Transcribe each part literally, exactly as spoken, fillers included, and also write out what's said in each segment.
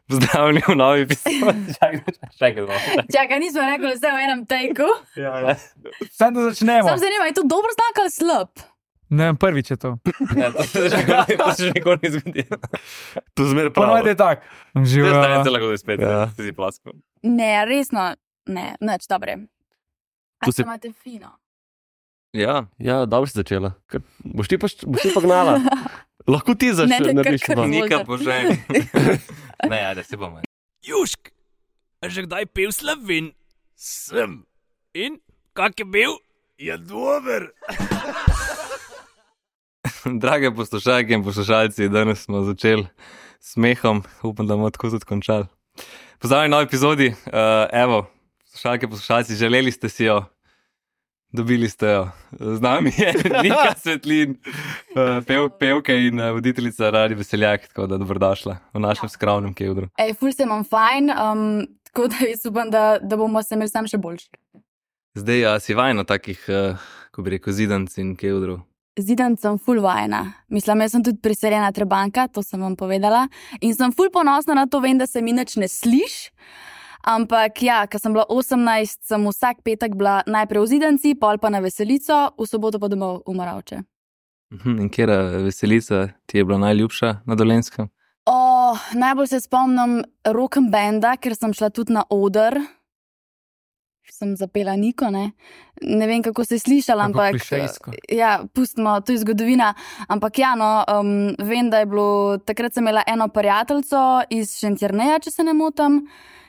Pozdravljeni v novi epizodi. Čakaj, Čakaj, nismo rekli vse v enem tejku. ja, ja. Sam da začnemo. Sam zanima, je to dober znak ali slab? Ne vem, prvič je to. Ne, to se že nikoli- to se že nikoli ni zgodilo. To zmer prav. Ponovadi je tak. Zdaj Živa. se lahko da spet, Ja. ja. si plasko. Ne, resno, ne, nič, dobre. A Tu se se- imate fino? Ja, Ja, dobro si začela. Kar, boš ti pa, boš ti pa gnala. Lahko ti Ne, začneš te narediš. kar- kar- pa. nika bože. Ne, ajde, se bomo. Južk, a že kdaj pil Slovin? Sem. In kak je bil? Je dober. Drage poslušalke in poslušalci, danes smo začeli s smehom, upam, da bomo tako tudi končali. Pozdravljeni v novi epizodi, uh, evo, poslušalke, poslušalci, želeli ste si jo, dobili ste jo. Z nami je Nika Svetlin, uh, pev, pevka in uh, voditeljica Radio Veseljak, tako da dobrodošla v našem skromnem kevdru. Ej, ful se imam fajn, um, tako da jaz upam, da, da bomo se imeli sam še boljši. Zdaj uh, si vajno takih, uh, ko bi rekel, zidanc in kevdrov. Zidan sem ful vajena. Mislim, jaz sem tudi priseljena Trebanka, to sem vam povedala. In sem ful ponosna na to, vem, da se mi nič ne sliš. Ampak ja, ko sem bila osemnajst, sem vsak petek bila najprej v Zidanci, pol pa na Veselico, v soboto pa domov v Moravče. Mhm, in kjera veselica ti je bila najljubša na Dolenjskem? O, najbolj se spomnim rock'n'banda, ker sem šla tudi na oder. Sem zapela Niko, ne. Ne vem, kako se je slišala, Kako ampak... klišejsko. Ja, pustimo, to je zgodovina. Ampak ja, no, um, vem, da je bilo... Takrat sem imela eno prijateljico iz Šentjerneja, če se ne motim.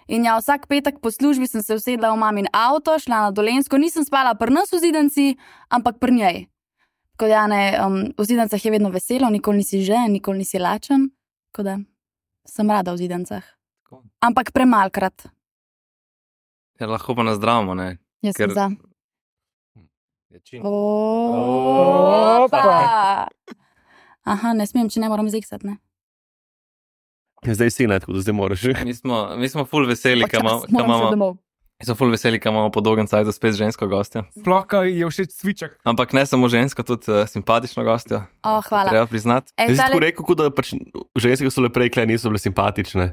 In ja, vsak petek po službi sem se usedla v mamin avto, šla na Dolenjsko. Nisem spala pri nas v Zidanci, ampak pri njej. Tako da, ne, um, v Zidancah je vedno veselo, nikoli nisi žen, nikoli nisi lačen. Tako da, sem rada v Zidancah. Ampak premalkrat. Ja, lahko pa nazdravimo, ne? Jaz Ker- sem za. Večina. Opa! Aha, ne smem, če ne moram zeksati, ne? Zdaj si ne, tako da zdaj moraš. Mi smo, mi smo ful veseli, ka imamo, Počas ka moram še imamo, domov. mi smo ful veseli, ka imamo po dolgem cajtu spet žensko gostjo. Sploh, ko je všeč cviček. Ampak ne samo žensko, tudi uh, simpatično gostjo. O, hvala. Treba priznati. Ej, Jaz si tako tale, rekel, kot da pač ženske, ki so le prej kle, niso bile simpatične.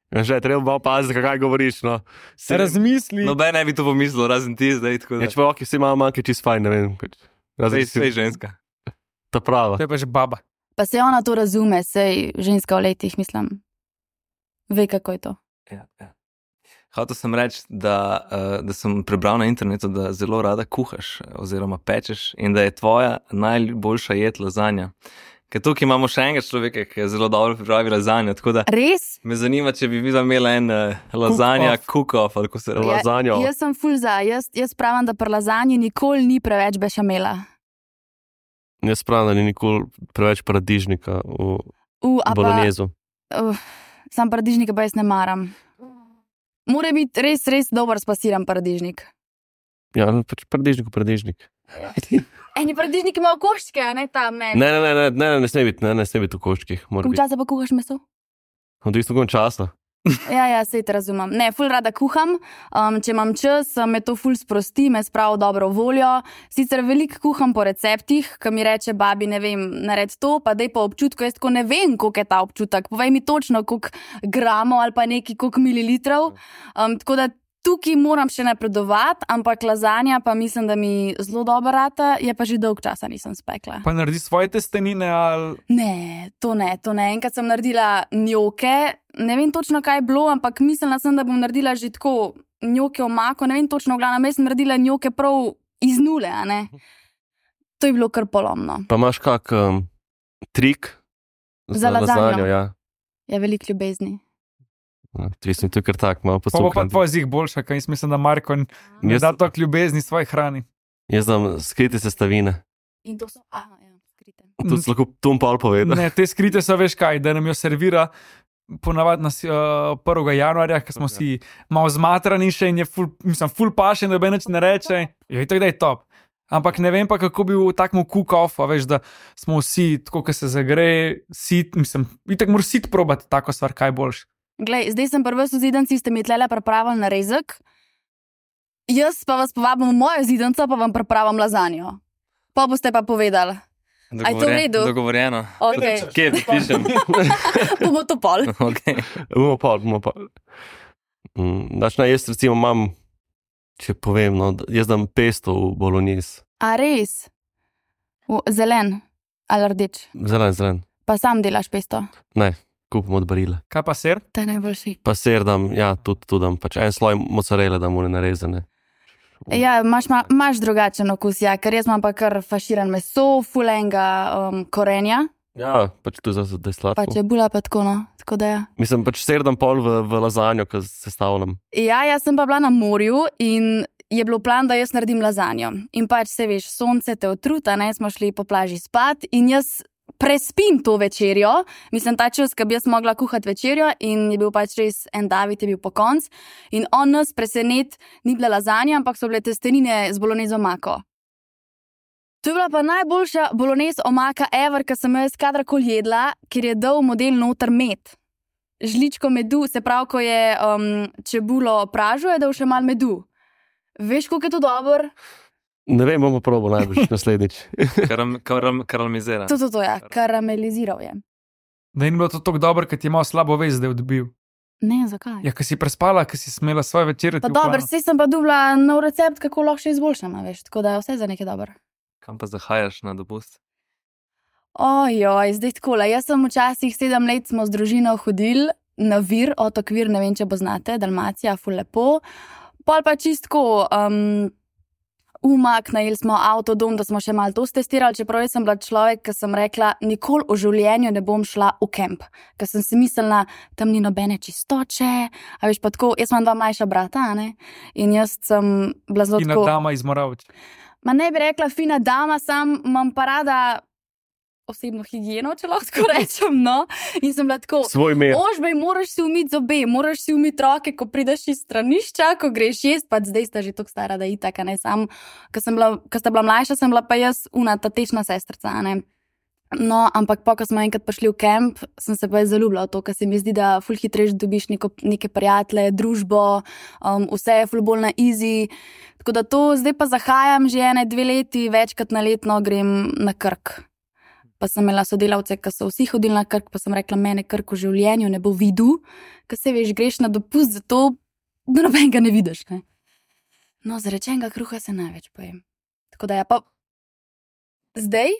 Ja, že, treba malo paziti, kaj govoriš, no. Se razmisli. Noben ne bi to pomislil, razen ti zdaj, tako da. Neč pa, ok, vsi imamo manjke čist fajn, ne vem. Pač, razen Sej, ti si sej ženska. ta prava. To je pa že baba. pa se ona to razume, sej ženska v letih, mislim. Ve, kako je to. Ja, ja. Hotel sem reči, da, uh, da sem prebral na internetu, da zelo rada kuhaš oziroma pečeš in da je tvoja najboljša jed lazanja. Ker tukaj imamo še enega človeka, ki je zelo dobro pripravil lazanjo, tako da Res? me zanima, če bi videla imela en uh, lazanja cook-off ali kako se reče. Ja. Lazanjo. Jaz sem ful za. Jaz, jaz pravim, da pri lazanji nikoli ni preveč bešamela. Jaz pravim, da ni nikoli preveč paradižnika v Uh, a pa, bolognezu. uh, sam paradižnika pa jaz ne maram. Mora biti res, res dober spasiran paradižnik. Ja, pač paradižnik, paradižnik. Eni paradižniki imajo koščke, a ne tam, ne. Ne, ne, ne, ne, ne, ne sme biti, ne, ne sme biti v koščkih. Mora Koliko biti. časa pa kuhaš meso? Odvisno koliko časa. Ja, ja, sej te razumem. Ne, ful rada kuham, um, če imam čas, me to ful sprosti, me spravi dobro voljo. Sicer veliko kuham po receptih, ko mi reče babi, ne vem, nared to, pa dej po občutku, jaz tako ne vem, koliko je ta občutek. Povej mi točno, koliko gramov ali pa neki, koliko mililitrov. Um, tako da tukaj moram še napredovati, ampak lazanja pa mislim, da mi zelo dobro rata, je pa že dolg časa nisem spekla. Pa naredi svoje testenine ali... Ne, to ne, to ne. Enkrat sem naredila njoke, ne vem točno, kaj je bilo, ampak mislila sem, da bom naredila že tako njoke v mako, ne vem točno, v glavnem, jaz sem naredila njoke prav iz nule, a ne. To je bilo kar polomno. Pa imaš kak um, trik Za lazanjo? Ja. Je veliko ljubezni. Mislim, to je kar tak, malo Pa bo pa poslušam. tvoj zig boljša, kaj jaz mislim, da Marko ne Jaz- da toliko ljubezni svoji hrani. Jaz znam skrite sestavine. In to so, aha, ja, skrite. To si lahko Tom Paul povedal. Ne, te skrite so, veš kaj, da nam jo servira ponavadi na uh, prvega januarja, ko smo si malo zmatrani še in je ful, mislim, ful paše, da bi nič ne reče. Jo, itak da je top. Ampak ne vem pa, kako bi v takmu cook-off, a veš, da smo vsi, tako, ko se zagre, sit, mislim, itak moraš sit probati tako stvar, kaj boljš. Glej, zdaj sem prvi v Zidanci, ste mi tlele pripravili narezek. Jaz pa vas povabim v mojo Zidanco, pa vam pripravim lazanjo. Pa boste pa povedali. A je to v redu? Dogovorjeno. Okay. Kje pišem? Bomo to pol. Okay. Bomo pol, bomo pol. Mm, Daš, ne, jaz recimo imam, če povem, no, jaz dam pesto v bolognese. A res? V, zelen ali rdeč? Zelen, zelen. Pa sam delaš pesto? Ne, kupim od barila. Kaj pa ser? To je najboljši. Pa ser dam, ja, tudi tu dam, pač en sloj mozzarelle dam v narezane. Ja, imaš, ma, imaš drugačen okus, ja, ker jaz imam pa kar faširan meso, fulenga um, korenja, Ja, pač tu je za da je sladko. pa čebula pa tako, no, tako da ja. Mislim, pač ser dam pol v, v lazanjo, ki sestavljam. Ja, jaz sem pa bila na morju in je bilo plan, da jaz naredim lazanjo. In pač se veš, sonce te otruta, ne, smo šli po plaži spat in jaz prespim to večerjo, mislim, ta čas, ki bi jaz mogla kuhati večerjo in je bil pač res en David, je bil po konc in on nas presenet, ni bila lazanja, ampak so bile testenine z bolognese omako. To je bila pa najboljša bolognese omaka ever, ki sem jaz kadarkoli jedla, ker je dal model noter med. Žličko medu, se pravi, ko je um, čebulo pražil, je dal še malo medu. Veš, koliko je to dobro? Ne vem, bomo probali najbolj naslednjič. Karam, karam, karamizira. To, to, to, ja, karameliziral je. Da ni bilo to tako dobro, ker ti je malo slabo vest, da je odbil. Ne, zakaj? Ja, ker si prespala, ker si smela svoje večere. Pa dobro, saj sem pa dobila nov recept, kako lahko še izboljšam, a veš, tako da je vse za nekaj dobro. Kam pa zahajaš na dopust? Ojoj, zdaj takole, jaz sem včasih sedem let smo z družino hodili na Vir, otok Vir, ne vem, če bo znate, Dalmacija, ful lepo. Pol pa čistko um, umak, najeli smo avtodom, da smo še malo to testirali, čeprav jaz sem bila človek, ki sem rekla, nikoli v življenju ne bom šla v kemp, ker sem si mislila, tam ni nobene čistoče, a veš pa tako, jaz imam dva mlajša brata, a ne, in jaz sem bila zelo Fina tako... dama iz Moravč. Ma ne bi rekla fina dama, sam imam pa rada osebno higieno, če lahko tako rečem, no. In sem bila tako, Svoj mer. ožbej, moraš si umiti zobe, moraš si umiti roke, ko prideš iz stranišča, ko greš jesti, pa zdaj sta že tako stara, da itak, a ne, sam, ko sem bila, ko sta bila mlajša, sem bila pa jaz una tatečna sestrca, a ne. No, ampak pa, ko smo enkrat prišli v kemp, sem se pa jaz zaljubila v to, ker se mi zdi, da ful hitreje dobiš neko, neke prijatelje, družbo, um, vse je ful bolj na easy. Tako da to zdaj pa zahajam že ene dve leti, večkrat na letno grem na Krk. Pa sem imela sodelavce, ki so vsi hodili na Krk, pa sem rekla, mene Krk v življenju ne bo videl, ker se veš, greš na dopust, zato da nobenega ne vidiš, ne. No, za rečenega kruha se največ pojem. Tako da ja, pa zdaj,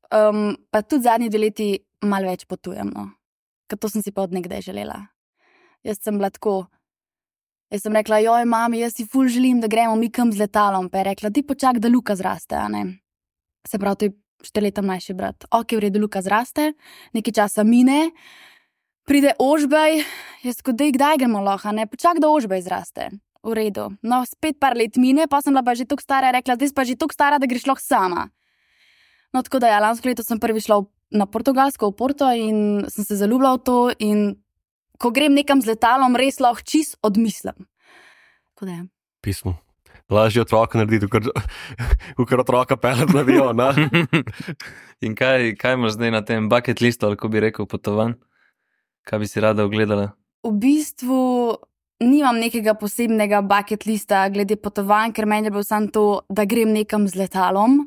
um, pa tudi zadnji dve leti malo več potujem, no. Ker to sem si pa od nekdaj želela. Jaz sem bila tako, jaz sem rekla, joj, mami, jaz si ful želim, da gremo mi kam z letalom, pa je rekla, ti počak, da Luka zraste, a ne. Se pravi, to je štiri leta mlajši brat. Ok, v redu, Luka zraste, nekaj časa mine, pride Ožbej, jaz tako, dej, kdaj gremo lahko, ne, počak, da Ožbej zraste. V redu. No, spet par let mine, pa sem bila pa že toliko stara, rekla, zdaj si pa že toliko stara, da greš lahko sama. No, tako da ja, lansko leto sem prvi šla na Portugalsko, v Porto in sem se zaljubila v to in ko grem nekam z letalom, res lahko čist odmislim. Tako da ja. Pismo. Lažje otroka narediti, kot otroka peljati na avion, ne? In kaj, kaj imaš zdaj na tem bucket listu, ali ko bi rekel potovanj? Kaj bi si rada ogledala? V bistvu nimam nekega posebnega bucket lista glede potovanj, ker meni je bil samo to, da grem nekam z letalom.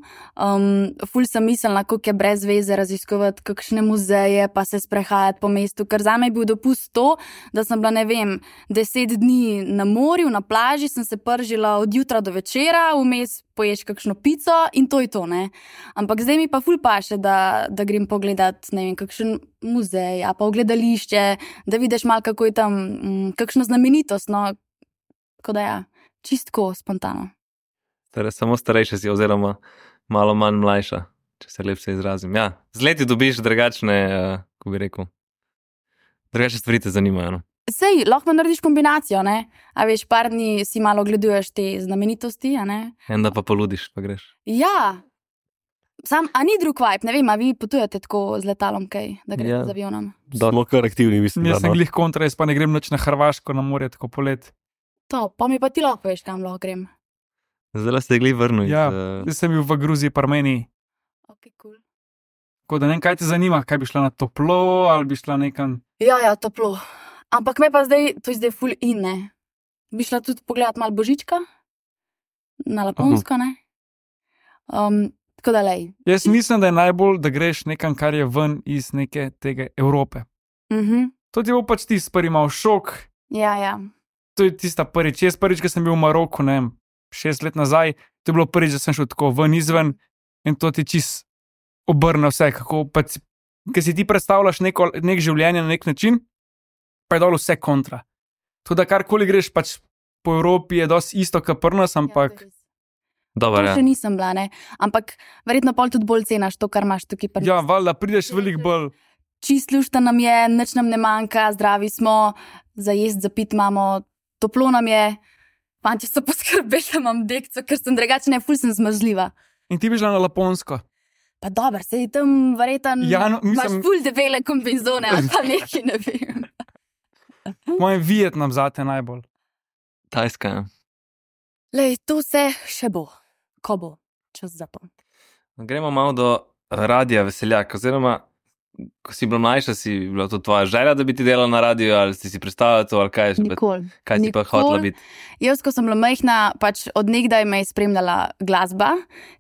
Um, ful sem mislila, koliko je brez veze raziskovati kakšne muzeje, pa se sprehajati po mestu, ker zame je bil dopust to, da sem bila, ne vem, deset dni na morju, na plaži, sem se pržila od jutra do večera, vmes poješ kakšno pico in to je to, ne. Ampak zdaj mi pa ful paše, da, da grem pogledat, ne vem, kakšen muzej, a pa v gledališče, da vidiš malo, kako je tam, m, kakšno znamenitost, no. Tako da ja, čistko spontano. Torej, samo starejša si oziroma malo manj mlajša, če se lepše izrazim. Ja, z leti dobiš drugačne, uh, ko bi rekel, drugačne stvari te zanimajo, no. Sej, lahko narediš kombinacijo, ne? A veš, par dni si malo ogleduješ te znamenitosti, a ne? En da pa poludiš, pa greš. Ja, sam, a ni drug vibe, ne vem, a vi potujete tako z letalom kaj, da greste Ja. z avionom? Smo kar aktivni, mislim. Jaz da, sem no. glih kontra, jaz pa ne grem nič na Hrvaško, na morje, tako polet. To, pa mi pa ti lahko veš, kam lahko grem. Zdaj ste gli vrnili. Ja, uh, jaz sem bil v Gruziji, pa Armeniji. Ok, cool. Tako da ne vem, kaj te zanima, kaj bi šla na toplo, ali bi šla nekam. Ja, ja, toplo. Ampak me pa zdaj, to je zdaj ful in, ne? Bi šla tudi pogledat malo Božička? Na Laponsko, ne? Um, Tako da lej. Jaz mislim, da je najbolj, da greš nekam, kar je ven iz neke tega Evrope. Mhm. To ti bo pač ti prvi mal šok. Ja, ja. To je tista prvič. Jaz prvič, ko sem bil v Maroku, ne vem, šest let nazaj, to je bilo prvič, da sem šel tako ven izven in to ti čist obrne vse, kako pač, ker si ti predstavljaš neko, nek življenje na nek način, pa je dol vse kontra. To, da karkoli greš pač po Evropi, je dosti isto, kot pri nas, ampak Ja, Dobar, to ja. še nisem bila, ne. Ampak verjetno pol tudi bolj cenaš to, kar imaš tukaj. pri ja, nas. valjda, prideš veliko bolj. Čist lušta nam je, nič nam ne manjka, zdravi smo, za jesti, za pit imamo, toplo nam je. Fantje so poskrbeli, da imam dekco, ker sem drugačna, ful sem zmrzljiva. In ti bi šla na Laponsko. Pa dober, sej tam verjetno Ja, no, imaš mislim- ful debele kombinzone ali pa nekaj, ne vem. Moj Vietnam zate najbolj. Tajska, ja. Lej, to vse še bo, ko bo čas za to. Gremo malo do radija Veseljak, oziroma, ko si bila mlajša, si bila to tvoja želja, da bi ti delala na radiju, ali si si predstavljala to, ali kaj, je že pa- Nikoli. kaj si pa Nikoli. hotela biti. Jaz, ko sem bila majhna, pač od nekdaj me je spremljala glasba,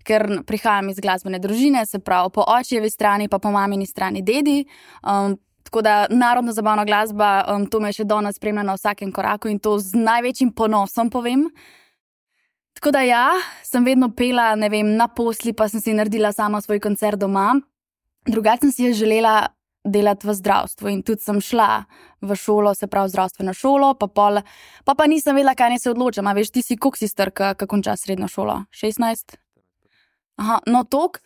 ker prihajam iz glasbene družine, se pravi po očevi strani, pa po mamini strani dedi. Um, tako da narodno zabavna glasba, um, to me je še danes spremlja na vsakem koraku in to z največjim ponosom povem. Tako da ja, sem vedno pela, ne vem, na posli, pa sem si naredila sama svoj koncert doma. Drugače sem si je želela delati v zdravstvu in tudi sem šla v šolo, se pravi zdravstveno šolo, pa pol, pa pa nisem vedela, kaj naj se odločam. A veš, ti si koliko si star, ko končaš srednjo šolo? šestnajst? Aha, no tok.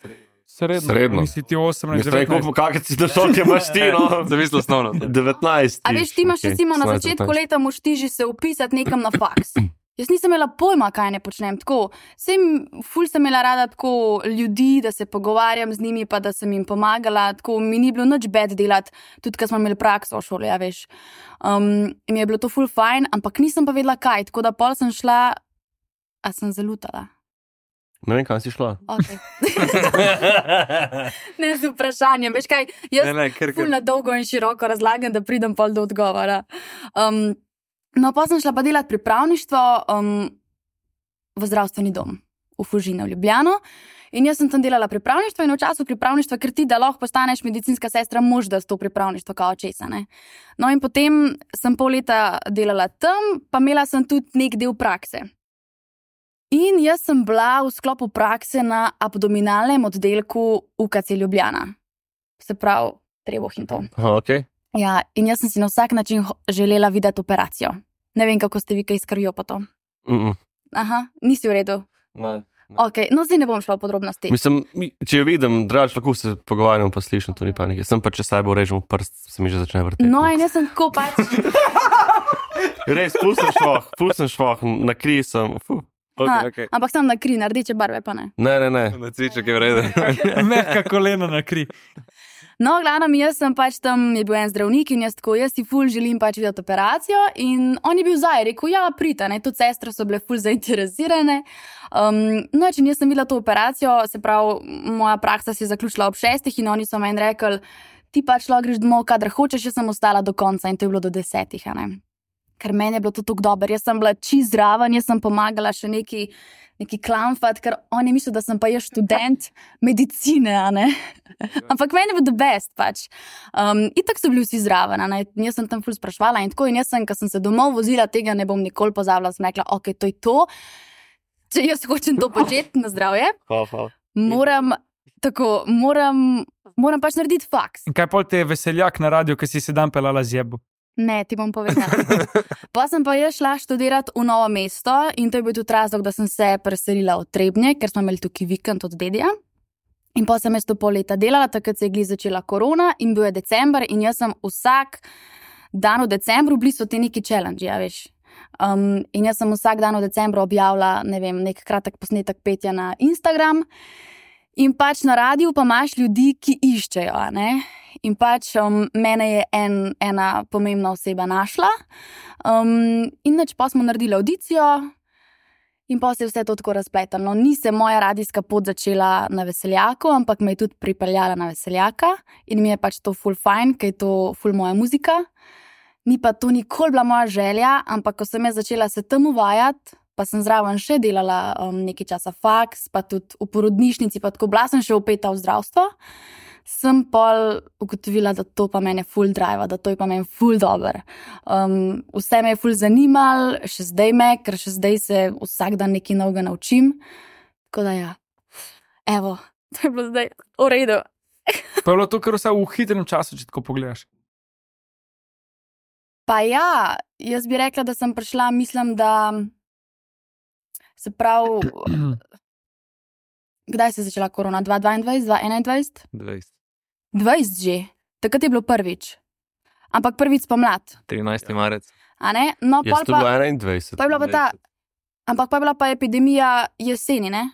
Srednjo. Srednjo. Nisi ti osemnajst, Jaz rekel, devetnajst. kakšne si došel, če imaš ti, no. Zavislo osnovno. devetnajst. A veš, ti imaš okej, recimo na osemnajst, začetku devetnajst. leta moš ti že se upisati nekam na faks. Jaz nisem imela pojma, kaj ne počnem. Tako, sem, ful sem imela rada tako ljudi, da se pogovarjam z njimi, pa da sem jim pomagala. Tako mi ni bilo nič bed delati, tudi ko smo imeli prakso v šoli, ja veš. Um, in mi je bilo to ful fajn, ampak nisem pa vedela kaj. Tako da pol sem šla, a sem zalutala. Ne vem, kam si šla. Okay. ne z vprašanjem, veš kaj, jaz Ne, ne, ker, ful ker. na dolgo in široko razlagam, da pridem pol do odgovora. Um, no, pa sem šla pa delati pripravništvo um, v zdravstveni dom v Fužine v Ljubljano. In jaz sem tam delala pripravništvo in v času pripravništva, ker ti, da lahko postaneš medicinska sestra, mož da s to pripravništvo kao česa. Ne? No in potem sem pol leta delala tam, pa imela sem tudi nek del prakse. In jaz sem bila v sklopu prakse na abdominalnem oddelku U K C Ljubljana. Se pravi, Trebuh in to. Aha, okay. Ja, in jaz sem si na vsak način ho- želela videti operacijo. Ne vem, kako ste vi kaj s krvjo pa to. Mm -mm. Aha, nisi v redu. Ne. Ok, no zdaj ne bom šla v podrobnosti. Mislim, mi- če jo vidim, draž, lahko se pogovarjam, pa slišim, to ni panike. Sem pa, če saj bo režem v prst, se mi že začne vrteti. No in jaz sem tako pač, Res, pustim švoh, pustim švoh, na kri sem. Fuh. ha, Okay, okay. ampak sem na kri, na rdeče barve pa ne. Ne, ne, ne. Na cviček je v redu. Mehka kolena na kri. No, glavno, jaz sem pač tam, je bil en zdravnik in jaz tako, jaz si ful želim pač videti operacijo in on je bil za, je rekel, ja, prita, ne, tudi sestre so bile ful zainteresirane. Um, no, če jaz sem videla to operacijo, se pravi, moja praksa se je zaključila ob šestih in oni so meni rekli, ti pač lahko greš domov, kadar hočeš, jaz sem ostala do konca in to je bilo do desetih, a ne. Ker meni je bilo to tako dobro, jaz sem bila čist zraven, jaz sem pomagala še neki, neki klamfat, ker on je mislil, da sem pa jaz študent medicine, a ne. Ampak meni je bilo the best pač. Um, itak so bili vsi zraven, a ne. Jaz sem tam ful sprašvala in tako in jaz sem, ko sem se domov vozila, tega ne bom nikoli pozabila, sem rekla, ok, to je to. Če jaz hočem to početi na zdravje, Hvala, hvala. moram, tako, moram, moram pač narediti faks. In kaj pol te je veseljak na radiju, ki si se dan pelala z jebu? Ne, ti bom povedala. Pa sem pa jaz šla študirati v Novo mesto in to je bil tudi razlog, da sem se preselila v Trebnje, ker smo imeli tukaj vikend od dedija. In pa sem jaz to pol leta delala, takrat se je glih začela korona in bil je december in jaz sem vsak dan v decembru bili so ti neki challenge, ja veš. Um, in jaz sem vsak dan v decembru objavila, ne vem, nek kratek posnetek petja na Instagram. In pač na radiju pa imaš ljudi, ki iščejo, a ne. In pač um, mene je en, ena pomembna oseba našla. Um, in nač pa smo naredili audicijo in pa se je vse to tako razpletalo. Ni se moja radijska pot začela na Veseljaku, ampak me je tudi pripeljala na Veseljaka in mi je pač to ful fajn, ker je to ful moja muzika. Ni pa to nikoli bila moja želja, ampak ko sem jaz začela se tam uvajati, pa sem zraven še delala um, nekaj časa faks, pa tudi v porodnišnici, pa tako bila sem še upeta v zdravstvo, sem pol ugotovila, da to pa mene ful drive, da to je pa meni ful dober. Um, vse me je ful zanimal, še zdaj me, ker še zdaj se vsak dan nekaj novega naučim. Tako da ja, evo, to je bilo zdaj v redu. Pa je bilo to, kar vse v hitrem času, če tako pogledaš. Pa ja, jaz bi rekla, da sem prišla, mislim, da se pravi, kdaj se je začela korona? dva tisoč dvaindvajset, dva tisoč enaindvajset? dvajset. dvajset že, takrat je bilo prvič. Ampak prvič spomlad, trinajsti marec. a ne? No, Jaz pol to bilo pa, enaindvajset. pa je bila pa ta, ampak pa je bila pa epidemija jeseni, ne?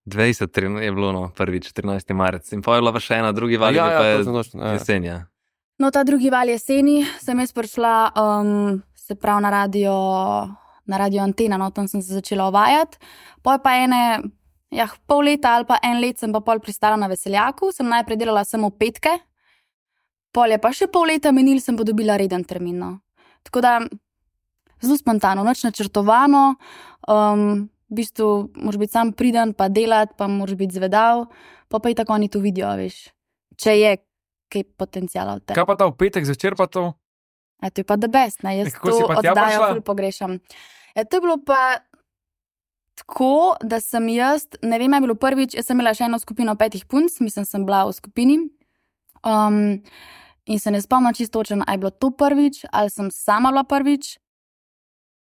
dvajset je bilo no, prvič, trinajsti marec. In pa je bila pa še ena, drugi val, Ja, je ja, pa je točno, točno, ja. jesen, ja. No, ta drugi val jeseni sem jaz prišla, um, se pravi na radio, na radio Antena, no, tam sem se začela uvajati. Pol pa ene, ja, pol leta ali pa en let sem pa pol pristala na Veseljaku, sem najprej delala samo petke, pol je pa še pol leta menil, sem pa dobila reden termin, no. Tako da, zelo spontano, nič načrtovano, um, v bistvu moraš biti sam priden, pa delati, pa moraš biti zvedav, pa pa i tako oni to vidijo, veš, če je kaj potencijala v tem. Kaj pa ta v petek zvečer pa to? A to je pa the best, ne? Jaz E, kako si to pa tja oddajo prišla? ful pogrešam. Ja, to je bilo pa tako, da sem jaz, ne vem, je bilo prvič, jaz sem imela še eno skupino petih punc, mislim, sem bila v skupini. Um, in se ne spomnim čisto točno, a je bilo to prvič, ali sem sama bila prvič.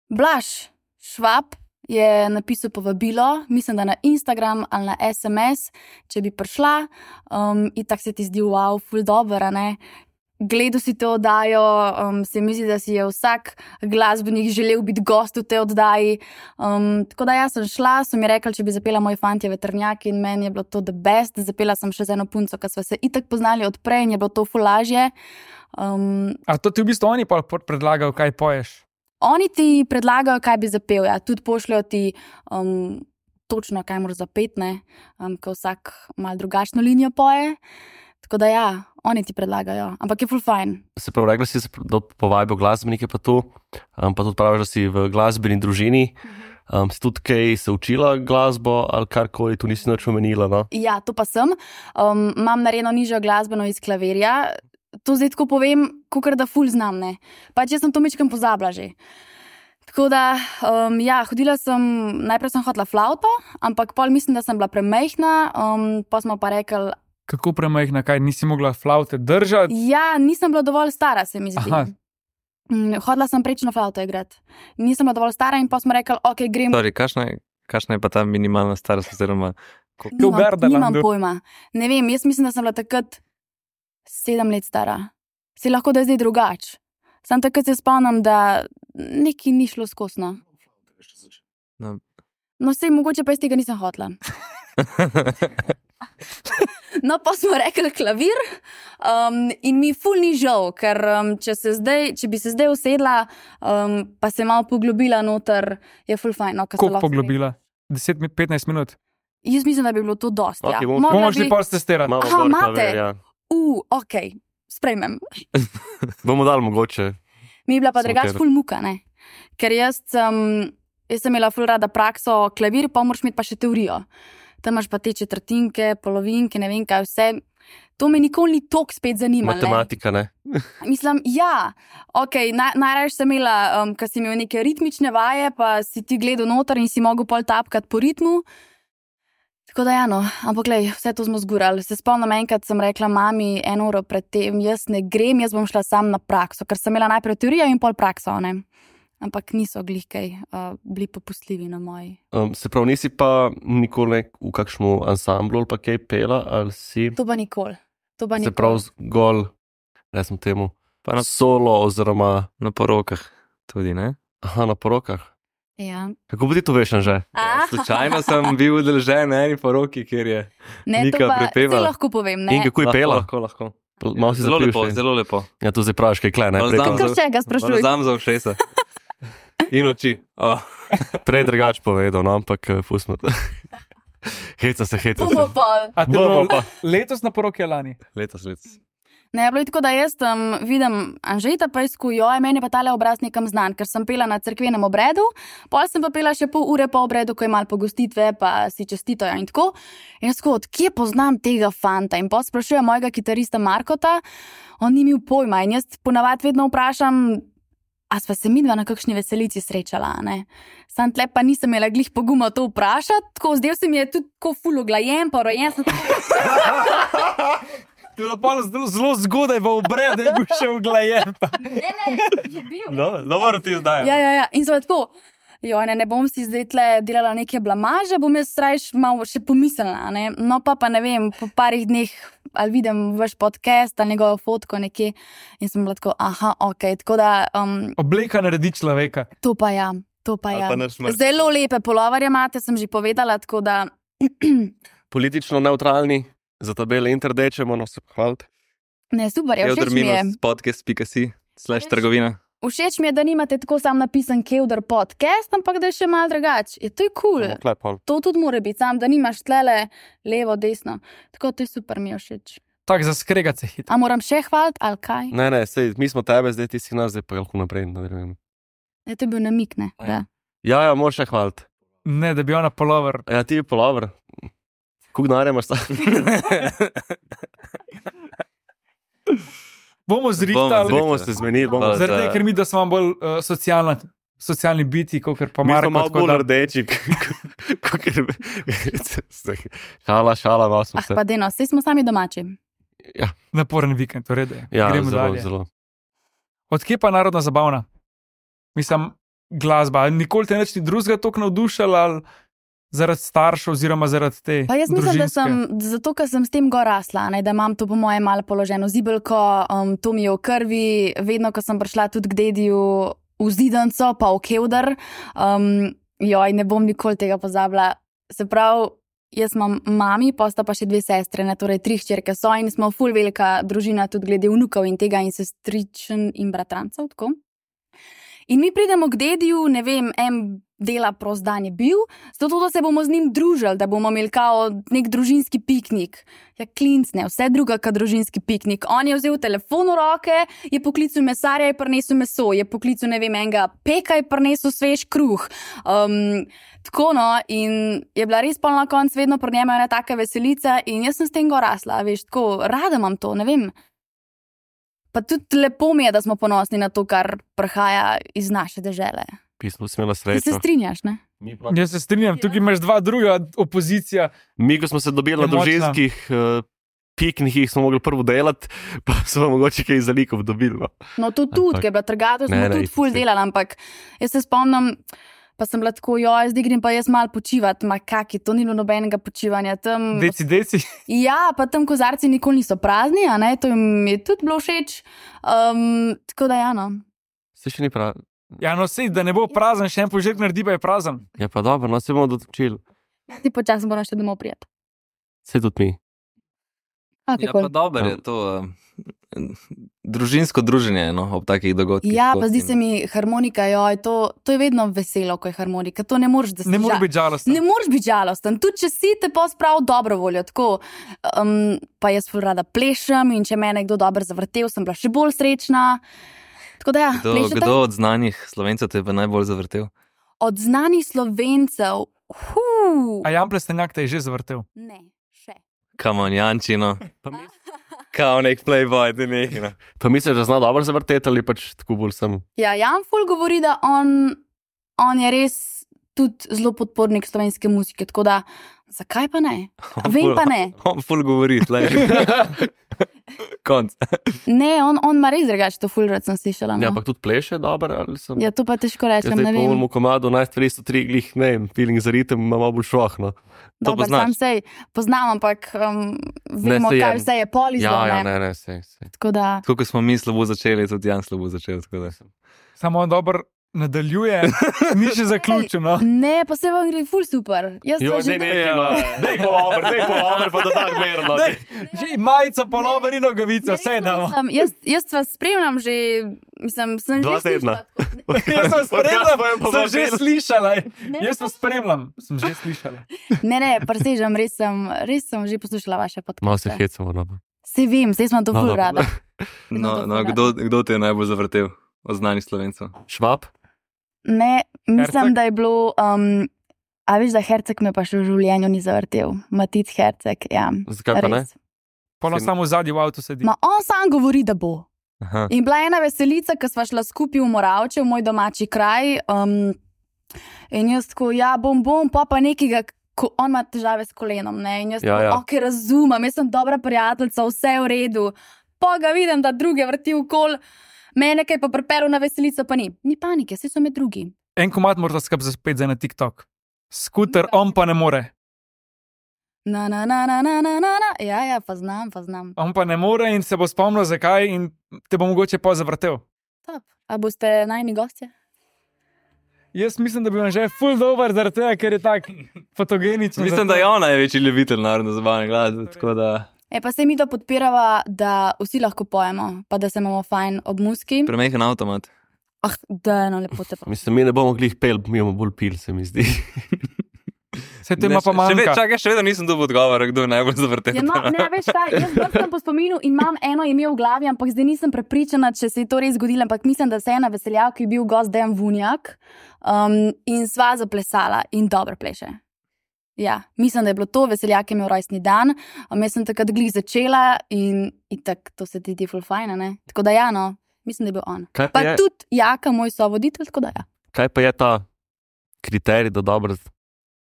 Blaž Švab je napisal povabilo, mislim, da na Instagram ali na es em es, če bi prišla, um, in tako se ti zdi, wow, ful dober, a ne? Gledal si to oddajo, um, se mi zdi, da si je vsak glasbenik želel biti gost v tej oddaji. Um, tako da jaz sem šla, so mi rekli, če bi zapela Moji fantje vetrnjaki in meni je bilo to the best. Zapela sem še z eno punco, ki sva se itak poznali od prej in je bilo to ful lažje. Um, A to ti v bistvu oni pa predlagajo, kaj poješ? Oni ti predlagajo, kaj bi zapel, ja, tudi pošljajo ti um, točno, kaj moraš zapeti, ne, um, ko vsak malo drugačno linijo poje. Tako da ja, oni ti predlagajo, ampak je ful fajn. Se pravi, rekla si, da povabijo glasbenike pa to, um, pa tudi praviš, da si v glasbeni družini. Um, si tudi kaj se učila glasbo ali karkoli, tu nisi nič omenila, no? Ja, to pa sem. Um, imam narejeno nižjo glasbeno iz klavirja. To zdaj tako povem, kakor da ful znam, ne. Pač jaz sem to mečkam pozabila že. Tako da, um, ja, hodila sem, najprej sem hotela flauto, ampak pol mislim, da sem bila premejhna, um, pa smo pa rekli, Kako premajhna, kaj nisi mogla flaute držati? ja, nisem bila dovolj stara, se mi zdi. Aha. Mm, Hodila sem prečno flauto igrati. Nisem bila dovolj stara in pa smo rekli, ok, grem. Sorry, kakšna je, kakšna je pa ta minimalna starost, oziroma v Nimam, Gardalandu. nimam pojma. Ne vem, jaz mislim, da sem bila takrat sedem let stara. Si lahko, da je zdaj drugač. Sam takrat se spomnim, da nekaj ni šlo skozi, no. No. No, sej mogoče pa iz tega nisem hotela. No, pa smo rekli klavir um, in mi ful ni žal, ker um, če, se zdaj, če bi se zdaj usedla, um, pa se malo poglobila noter, je ful fajn. No, ko se Koliko lahko poglobila? deset, petnajst minut? smeješ. Jaz mislim, da bi bilo to dosti. Ok, ja. bomo- Mogla Bomo šli bi- pol testirati. Malo Aha, gor imate? klavir, ja. U, ok, sprejmem. Bomo dali mogoče. Mi je bila pa Samo drugač ter- ful muka, ne? Ker jaz sem, jaz sem imela ful rada prakso klavir, pa moraš imeti pa še teorijo. Tam imaš pa te četrtinke, polovinke, ne vem kaj vse. To me nikoli ni toliko spet zanimalo. ne. Matematika, ne? Mislim, ja, ok, naj, najraje sem imela, um, ker si imel neke ritmične vaje, pa si ti gledal noter in si mogel pol tapkati po ritmu. Tako da ja, no, ampak glej, vse to smo zgurali. Se spomnim, enkrat sem rekla mami eno uro pred tem, jaz ne grem, jaz bom šla sam na prakso, ker sem imela najprej teorijo in pol prakso, ne. Ampak niso glih kaj uh, bili popustljivi na moji. Um, se pravi, nisi pa nikoli nek v kakšnem ansamblu ali pa kaj pela, ali si? To pa nikoli. To pa Se nikoli. pravi, zgolj, ne sem temu, Pa na, solo oziroma na porokah tudi, ne? aha, na porokah. Ja. Kako bi ti to veš, že? A, Slučajno sem bil udeležen na eni poroki, kjer je ne, to Nika pa prepevala. saj lahko povem, ne. In kako je pela? Lahko, lahko. Malo si Zelo zapil lepo, še. zelo lepo. Ja, to zdaj praviš, kaj kle, ne? Malo Prej, znam to- Kar še ga sprašuj. Znam za ušesa. In oči. Oh. prej drugače povedal, no, ampak eh, pustimo to. Heca se, heca se. Bomo pol. A to je Bomo bilo pa. letos na poroki ali lani? Letos, letos. Ne, bilo je tako, da jaz tam vidim Anžeta, pa jaz kujo, meni pa tale obraz nekam znan, ker sem pela na cerkvenem obredu, pol sem pa pela še pol ure po obredu, ko je malo pogostitve, pa si čestitajo in tako. In jaz tako, odkje poznam tega fanta? In pol sprašujem mojega kitarista Markota, on ni imel pojma in jaz ponavadi vedno vprašam, a sva se midva na kakšni veselici srečala, ne? Sam tle pa nisem imela glih poguma to vprašati, tako zdaj se mi je tudi tako ful uglajen, pa rojen sem tako... Bilo pa zelo, zelo zgodaj v obredu, da je bil še uglajen. Ne, ne, je bil. No, dobro ti zdaj. Ja, ja, ja. In sem tako, jo, ne, ne bom si zdaj tle delala neke blamaže, bom jaz rajš malo še pomislila, ne. No pa pa ne vem, po parih dneh ali vidim vaš podcast ali njegovo fotko nekje in sem bila tako, aha, okej, okay. Tako da... Um, Obleka naredi človeka. To pa ja, to pa ja. Pa naš mrtv. Zelo lepe polovarje imate, sem že povedala, tako da... Politično neutralni, za tabele interdečemo, no se pohvalite. Ne, super, ja, všeč mi je. podcast pika si slash trgovina. Všeč mi je, da nimate tako sam napisan Kevdar podcast, ampak da je še malo drugače. Je to je kul. Cool. To tudi mora biti, sam, da nimaš tlele levo, desno. Tako to je super, mi je všeč. Tak za skregat se hit. A moram še hvaliti, ali kaj? Ne, ne, sej, mi smo tebe, zdaj ti si nas, zdaj pa lahko naprej nadaljujem. Ne, to je bil namik, ne? Da. Ja, ja, moraš še hvaliti. Ne, da bi ona polover. Ja, ti je polover. Kuk denarja imaš ta? Bomo zrihtali. Bomo se zmenili. Bomo... Zaradi tega, ker mi, da smo bolj uh, socialna, socialni biti, kot pa Mi Marko. smo malo bolj da... rdeči. Šala, šala, malo smo Ah, se. pa deno, vsi smo sami domači. Ja, Naporen vikend, v redu je. ja Gremo zelo, dalje. zelo. Odkje pa narodna zabavna? Mislim, glasba. Nikoli te nič ni drugega toliko navdušala, ali zaradi staršev oziroma zaradi te Pa jaz mislim, da družinske? sem, zato, ker sem s tem gor rasla, ne, da imam to po moje malo položeno zibelko, um, to mi je v krvi, vedno, ko sem prišla tudi k dediju v Zidanco, pa v Kevdar, um, joj, ne bom nikoli tega pozabila. Se pravi, jaz imam mami, pa sta pa še dve sestre, ne, torej tri hčerke so in smo ful velika družina tudi glede vnukov in tega in sestričen in bratrancev, tako. In mi pridemo k dediju, ne vem, en dela prost dan je bil, zato da se bomo z njim družili, da bomo imeli kao nek družinski piknik. Ja, klinc, ne, vse druga kot družinski piknik. On je vzel telefon v roke, je poklical mesarja, je prinesel meso, je poklical, ne vem, enega peka, je prinesel svež kruh. Um, tako no, in je bila res pol na koncu vedno pri njemu ena taka veselica in jaz sem s tem gor rasla, veš, tako, rada imam to, ne vem. Pa tudi lepo mi je, da smo ponosni na to, kar prihaja iz naše dežele. Pismo si imela Ti se srečo. strinjaš, ne? Mi, pa... Jaz se strinjam, tukaj imaš dva druga opozicija. Mi, ko smo se dobili na Je močna. družinskih uh, piknikih, smo mogli prvo delati, pa smo mogoče kaj za likov dobili. No. No, to tudi, Ampak- ker je bila trgatev, smo Ne, ne, tudi ful itak. delali, ampak jaz se spomnim, pa sem bila tako, joj, zdaj grem pa jaz malo počivati, ma kaki, to ni bilo nobenega počivanja tam. Deci, deci. Ja, pa tam kozarci nikoli niso prazni, a ne, to jim je tudi bilo všeč. Um, tako da ja, no. Se še ni prav. Ja, no sej, da ne bo prazen, še en požirk naredi, pa je prazen. Ja, pa dobro, no se bomo dotočili. Ti počasno moram še domov prijeti. Se tudi mi. Ja, pa dobro je to uh, družinsko druženje, no, ob takih dogodkih. Ja, kot pa zdi in- se mi harmonika, joj, to, to je vedno veselo, ko je harmonika, to ne moreš, da si Ne moreš žal- biti žalosten. Ne moreš biti žalosten, tudi če si te pa sprav dobro voljo. Tako, um, pa jaz ful rada plešem in če me je nekdo dobro zavrtel, sem bila še bolj srečna. Tako da ja, Kdo, plešete? kdo od znanih Slovencev te je pa najbolj zavrtel? Od znanih Slovencev, huu, A Jan Plestenjak te je že zavrtel. ne, še. Come on, Jančino. Pa, mi, Kao nek playboy, ti neki. No. pa misliš, da zna dobro zavrteti ali pač tako bolj sem. Ja, Jan ful govori, da on, on je res tudi zelo podpornik slovenske muzike, tako da zakaj pa ne? Vem pa ne. On ful govori, tlej. Konc. Ne, on, on ima res drugače, to ful rad sem slišala. No. Ja, ampak tudi pleše dobro ali sem. Ja, to pa težko Jaz rečem, ne zdaj po vem. mojemu komadu najst tristo tri glih, ne vem, feeling za ritem ima malo bolj švah, no. To Dobar, poznaš? sam sej poznam, ampak um, vemo, saj je. kaj vse je polizlo. Ja, ja, ne. ne, ne, sej, sej. Tako da, Tako kot smo mi slabo začeli, tudi Jan slabo začel. Tako da. Samo on dobro nadaljuje, ni še zaključil. No. ne, pa se vam gre ful super. Jaz Jo, sem že ne, ne, no. Dej polover, dej polover, pa da tak merno. Dej, že majica, polover in nogavica, vse damo. Sem, jaz, jaz vas spremljam že, mislim, sem Dva že tedna. slišala. Jaz sem spremljam, Podcast sem že povabilo. slišala. Ne, Jaz sem spremljam, sem že slišala. Ne, ne, presežem, res sem, res sem že poslušala vaše Malo se podcaste. hecamo, no. Se vem, zdaj sem to No, ful dobro. rada. No, no kdo, kdo te je najbolj zavrtel od znanih Slovencev? Švab? Ne, mislim, Herceg? da je bilo. Um, a veš, da Herceg me pa še v življenju ni zavrtel. Matic Herceg, ja. Zakaj pa ne? res. Polno Sin- samo v zadnji v avtu sedi. Ma on sam govori, da bo. Aha. In bila je ena veselica, ko sva šla skupaj v Moravče, v moj domači kraj. Um, in jaz tako, ja, bom, bom, pa pa nekega, ko on ima težave s kolenom. Ne? In jaz Ja, tako, ja. ok, razumem, jaz sem dobra prijateljica, vse je v redu. Pa ga vidim, da druge vrti v kol, mene kaj pa pripeljal na veselico, pa ni. Ni panike, vsi so med drugi. En komat mora skrb za spet za na TikTok. Skuter, on pa ne more. Na, na, na, na, na, na, na. Ja, ja, pa znam, pa znam. On pa ne more in se bo spomnil, zakaj in te bo mogoče pa zavrtel. Top. A boste najni gostje? Jaz mislim, da bi vam že full dober zaradi tega, ker je tak fotogeničen. Mislim, da je ona največji ljubitelj narodno zabavne glasbe, tako da E, pa se mi to podpirava, da vsi lahko pojemo, pa da se imamo fajn ob muski. premehen avtomat. Ah, da, no, lepo te pa. Mislim, mi ne bomo glih pel, mi bomo bolj pil, se mi zdi. Se to ima pa Ne, še, še, ve- manjka. čakaj, še vedno nisem dobil odgovora, kdo je najbolj zavrtel. Ja, no, ne, veš kaj, jaz brskam po spominu in imam eno ime v glavi, ampak zdaj nisem prepričana, če se je to res zgodilo, ampak mislim, da se je na veseljavki bil gost Dejan Vunjak um, in sva zaplesala in dobro pleše. Ja, mislim, da je bilo to, veseljak je imel rojstni dan, um, jaz sem takrat glih začela in, in tako to se ti ti ful fajn, ne? Tako da ja, no, mislim, da je bil on. Kaj pa Pa je, tudi Jaka, moj sovoditelj, tako da ja. kaj pa je ta kriterij, da dobro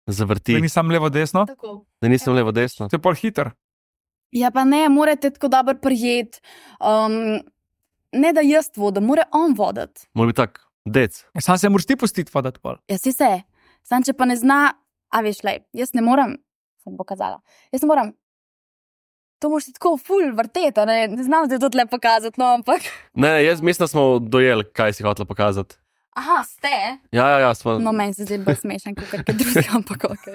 zavrti, Da nisem levo desno, Tako. da nisem levo desno? to je pol hiter. Ja, pa ne, morate tako dobro prijeti. Um, ne da jaz vodim, mora on voditi. Mora biti tak, dec. Ja, sam se moraš ti pustiti voditi pol. Ja, si se. Sam, če pa ne zna, a veš, lej, jaz ne morem, sem pokazala. Jaz ne morem. To moraš ti tako ful vrteti, a ne, ne znam zdaj to tle pokazati, no, ampak. Ne, ne, jaz mislim, da smo dojeli, kaj si hotela pokazati. Aha, ste. Ja, ja, ja, smo. No, meni se zdaj bolj smešen, kot kaj drugega, ampak ok.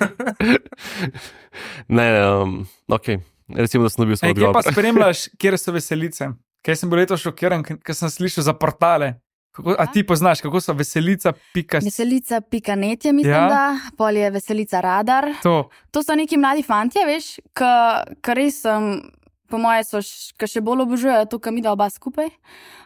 Ne, ne, um, ok. Recimo, da sem dobil svoj Ej, kje pa odgovor. spremljaš, kje so veselice? Kaj sem bil letos šokiran, ker sem slišal za portale. Kako, a ti poznaš, kako so veselica, pika. Veselica pika netje, mislim, Ja. da, pol je veselica radar. To. To so neki mladi fantje, veš, ki res, um, po moje, so, ki še bolj obožujejo to, kar mi da oba skupaj.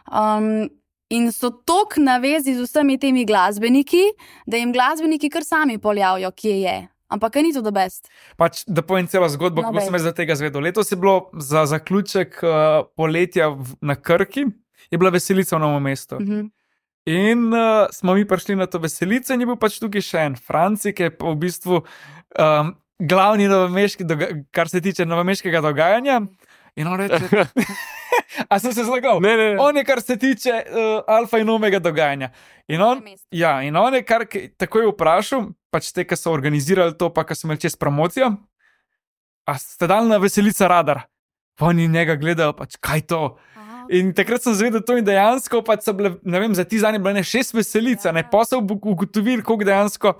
Um, in so tok navezi z vsemi temi glasbeniki, da jim glasbeniki kar sami poljavijo, kje je. Ampak kaj ni to the best. Pač, da povem celo zgodbo, No, kako daj. sem jaz za tega zvedel. Letos je bilo za zaključek uh, poletja v, na Krki, je bila veselica v Novem mestu. Mhm. In uh, smo mi prišli na to veselico, in je bil pač tukaj še en Franci, ki je pa v bistvu um, glavni novomeški, doga- kar se tiče novomeškega dogajanja. In on reče: A sem se zlagal? Ne, ne, ne. On je, kar se tiče uh, alfa in omega dogajanja. In on, ja, in on je kar k- takoj vprašal, pač te, ki so organizirali to, pa ki so imeli čez promocijo, a ste dali na veselica radar. Pa oni njega gledajo, pač kaj to. In takrat sem zvedel to in dejansko, pač so bile, ne vem, za ti zadnje bile ne šest veselic, ne pa so ugotovili, koliko dejansko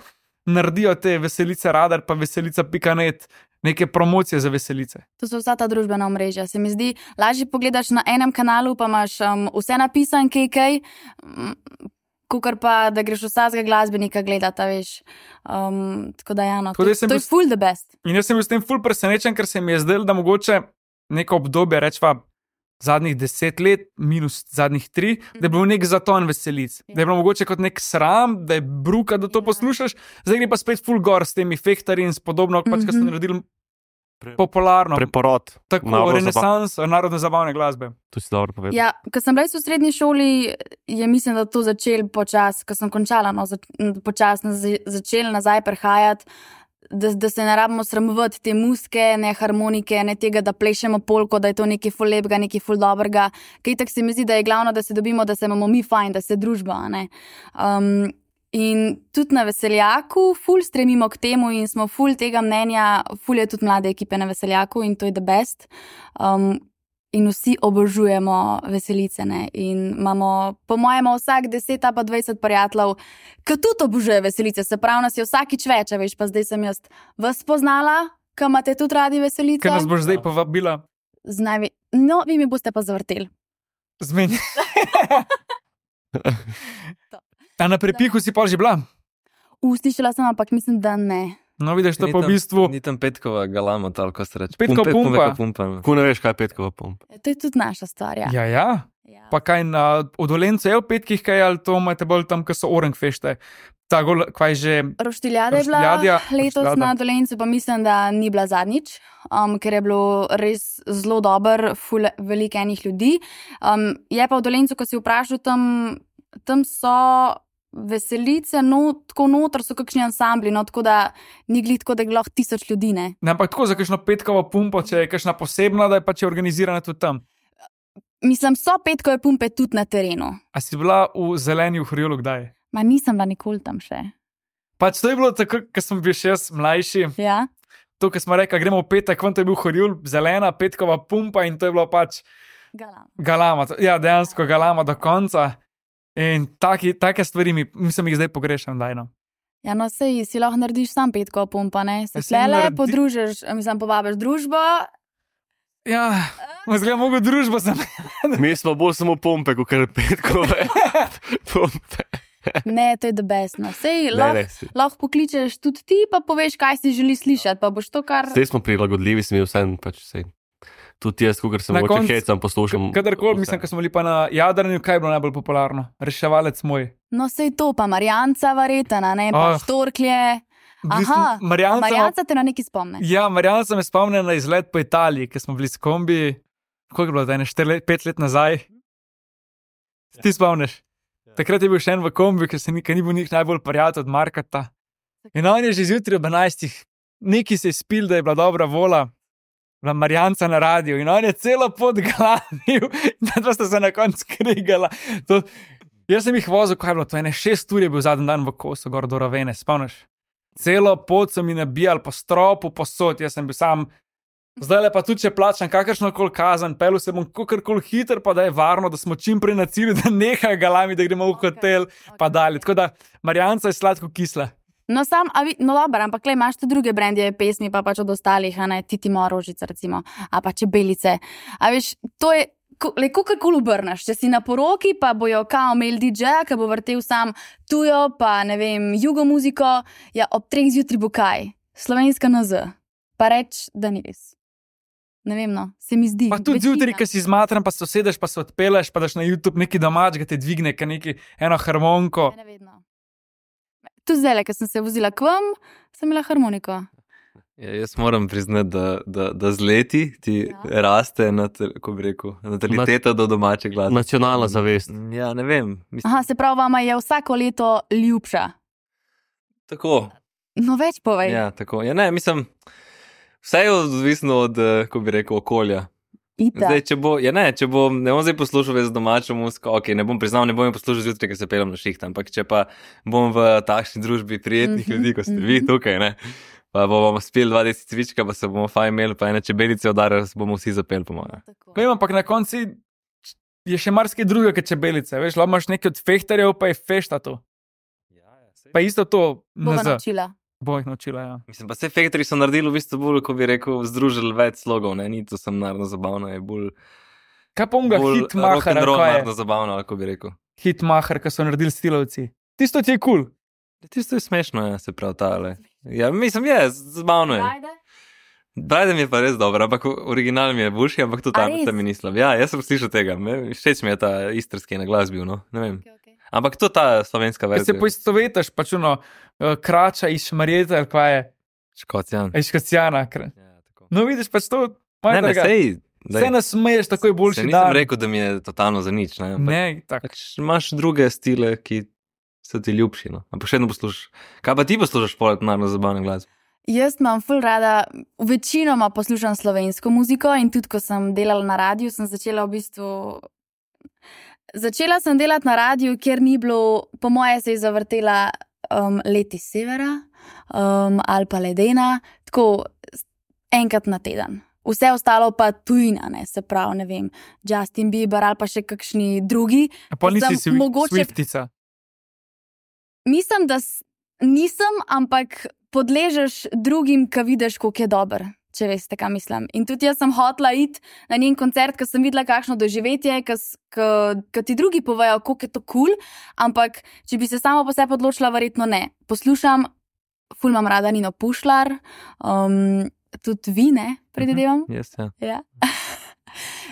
naredijo te veselice radar, pa veselica pika net, neke promocije za veselice. To so vsa ta družbena omrežja. Se mi zdi, lažje pogledaš na enem kanalu, pa imaš um, vse napisan, kaj kaj, um, kukar pa, da greš vsakega glasbenika gledati, veš. Um, tako da, ja, no, Tako da to, jaz sem to bil je full the best. In jaz sem bil s tem ful presenečen, ker se mi je zdelo, da mogoče neko obdobje, rečva zadnjih deset let, minus zadnjih tri, da je bil nek zaton veselic. Da je bilo mogoče kot nek sram, da je bruka, da to Ja. poslušaš, zdaj gre pa spet ful gor s temi fehtarji in s podobno, pač, kar so Mhm. naredili Pre- popularno. Preporod. Tako, narodno renesans narodne zabavne glasbe. To si dobro povedal. Ja, ko sem bila jaz v srednji šoli, je mislim, da to začel počasi, ko sem končala, no, zač, počasi naz- začel nazaj prihajati, da, da se ne rabimo sramovati te muske, ne harmonike, ne tega, da plešemo polko, da je to nekaj ful lepega, nekaj ful dobrega. Kaj tako se mi zdi, da je glavno, da se dobimo, da se imamo mi fajn, da se družba, a ne. Um, In tudi na veseljaku, ful stremimo k temu in smo ful tega mnenja, ful je tudi mlade ekipe na veseljaku in to je the best. Um, in vsi obožujemo veselice. Ne? In imamo, po mojem, vsak deset ali pa dvajset prijateljev, ki tudi obožuje veselice. Se pravi, nas je vsakič več, a veš, pa zdaj sem jaz vas spoznala, ki imate tudi radi veselice. Ker nas boš zdaj povabila. Z najve... No, vi mi boste pa zavrteli. Zmeni. A na prepihu si pa že bila? Uslišala sem, ampak mislim, da ne. No, vidiš, to Ni pa v tam- bistvu Ni tam petkova galama, ali kako se reče. Petkova Pumpe- pumpa. pumeka pumpa. no. Ko ne veš, kaj je petkova pumpa. To je tudi naša stvar. Ja. Ja, ja. Ja. Pa kaj na odolencu je v petkih, kaj ali to imate bolj tam, ko so orang fešte. Ta gol, kaj že. Roštiljada je bila Roštiljadja, letos roštiljada. na Dolencu, pa mislim, da ni bila zadnjič, um, ker je bilo res zelo dober, ful veliko enih ljudi. Um, je pa v Dolencu, ko si vprašal, tam, tam so veselice, no, tako noter so kakšni ansambli, no, tako da ni glih tako, da je lahko tisoč ljudi, ne. Ne, ampak tako za kakšno petkovo pumpo, če je kakšna posebna, da je pač je organizirana tudi tam. Mislim, so petkove pumpe tudi na terenu. A si bila v zeleni v Horjulu kdaj? Ma nisem bila nikoli tam še. Pač to je bilo tako, ko sem bil še jaz mlajši. Ja? To, ko smo rekli, gremo v petek, ven to je bil Horjul, zelena petkova pumpa in to je bilo pač Galam. galama. Ja, dejansko galama do konca. In taki, take stvari mi, mislim, jih zdaj pogrešam, dajno. Ja, no, sej si lahko narediš sam petko pumpa, ne? Se Ja, saj tlele naredi- podružiš, mislim, povabiš družbo. Ja, zgleda mogo družbo sem. Mi smo bolj samo pumpe, kot kar petkove pumpe. Ne, to je the best, no. Sej Ne, lahko ne, si- lahko pokličeš tudi ti, pa poveš, kaj si želiš slišati, pa boš to kar... Zdaj smo prilagodljivi, sem jim vsem pač vse. Tudi jaz, ko sem Na mogoče koncu- hecam, poslušam. Kadarkoli, vse. mislim, ko smo bili pa na Jadranju, kaj je bilo najbolj popularno? Reševalec moj. No, sej to, pa Marjanca varetana, ne, pa Oh. oh. štorklje. V bistvu, Aha, Marjanca, Marjanca te na neki spomne. ja, Marjanca me spomne na izlet po Italiji, ker smo bili s kombi, koliko je bilo, da je štiri let, pet let nazaj. Se ti spomniš? Takrat je bil še en v kombi, ker se ni, ker ni bil njih najbolj prijatelj od Markata. In on je že zjutraj ob enajstih, neki se je spil, da je bila dobra vola, bila Marjanca na radiju in on je celo pot glavil, in da sta se na koncu krigala. To, jaz sem jih vozil, kaj je bilo, to ene šest ur je bil zadnji dan v kosu, gor do Ravene, spomniš? Celo pot so mi nabijali po stropu, posod, jaz sem bil sam. Zdaj le pa tudi, če plačam kakršno koli kazen, pelu se bom kakorkoli hiter, pa da je varno, da smo čim prej na cilju, da nehajo galami, da gremo v hotel, pa dalje. Tako da Marjanca je sladko kisla. No, sam, a vi, no, dobro, ampak le imaš tudi druge brendje pesmi, pa pač od ostalih, a ne, Titi Morožica, recimo, a pa Čebelice. A veš, to je, ko- le kakorkoli obrneš, če si na poroki, pa bojo kao imeli D J-ja, ki bo vrtel sam tujo, pa ne vem, jugo muziko, ja, ob treh zjutraj bo kaj, slovenska N Z, pa reč, da ni res. Ne vem, no, se mi zdi. Pa tudi večina. zjutraj, ki si zmatran, pa se usedeš, pa se odpeleš, pa daš na YouTube neki domač, ga te dvigne, ka neki eno harmoniko. Ne, ne vedno. Tu zdaj, ko sem se vozila k vam, sem imela harmoniko. Ja, jaz moram priznati, da, da, da z leti ti Ja. ja. raste, natal, ko bi rekel, nataliteta do domače glasbe. Nacionalna zavest. Ja, ne vem. Mislim, Aha, se pravi, vama je vsako leto ljubša. tako. No, več povej. Ja, tako. Ja, ne, mislim, vse je odvisno od, eh, ko bi rekel, okolja. Ita. Zdaj, če bo, ja, ne, če bom, ne bom zdaj poslušal več domačo muziko, ok, ne bom priznal, ne bom jo poslušal zjutraj, ker se pelem na šiht, ampak če pa bom v takšni družbi prijetnih Mhm, ljudi, kot ste vi mhm. tukaj, ne, pa bomo spili dva deset cvička, pa se bomo fajn imeli, pa ene čebelice udarili, se bomo vsi zapeli, po mojem. Tako. Vem, ampak na koncu je še marsikaj drugega, kot čebelice. Veš, lahko imaš nekaj od fehtarjev, pa je fešta to. Pa isto to, Bova N Z. naučila. Bo jih naučila, ja. Mislim, pa vse fektori so naredili v bistvu bolj, ko bi rekel, združili več slogov, ne, ni to sem naravno zabavno, je bolj, Kaj pa unga bolj hitmaher, rock'n'roll kaj je? naravno zabavno, ali ko bi rekel. Hitmaher, ki so naredili stilovci. Tisto ti je kul. Cool. Tisto je smešno, ja, se prav tale. Ja, mislim, je, zabavno je. Ajde. Brajden je pa res dober, ampak original mi je boljši, ampak tudi A tam res? se mi ni slab. Ja, jaz sem slišal tega, me- všeč mi je ta istrski na glas bil, no, ne vem. Okay, okay. Ampak to ta slovenska Ker se verzija. poistovetiš, pač ono, uh, krača iz Šmarjeta, ali kaj je, Škocjan. iz Škocijana. kra- Ja, tako. No, vidiš pač to, Ne, ne, majhnega. sej, daj, Vse nas smeješ, tako je se boljši nisem dan. rekel, da mi je totalno za nič, ne. ampak Ne, tako. Pač imaš druge stile, ki so ti ljubši, no. Ampak še vedno poslušaš. Kaj pa ti poslušaš poleg naravno zabavne glasbe? Jaz imam ful rada, večinoma poslušam slovensko muziko in tudi, ko sem delala na radiju, sem začela v bistvu. Začela sem delati na radiju, kjer ni bilo, po moje se je zavrtela um, Leti severa um, ali pa Ledena, tako s- enkrat na teden. Vse ostalo pa tujina, ne, se pravi, ne vem, Justin Bieber ali pa še kakšni drugi. A pa nisi sem swi- mogoče- Swiftica. Mislim, da s- nisem, ampak podležeš drugim, ki vidiš, koliko je dober, če veste, kaj mislim. In tudi jaz sem hotla iti na njen koncert, ker sem videla, kakšno doživetje, ki ti drugi povejo, koliko je to kul, cool, ampak če bi se samo po sebi odločila, verjetno ne. Poslušam ful imam rada Nino Pušlar, um, tudi vi, ne, predvidevam. Jaz, ja. Ja.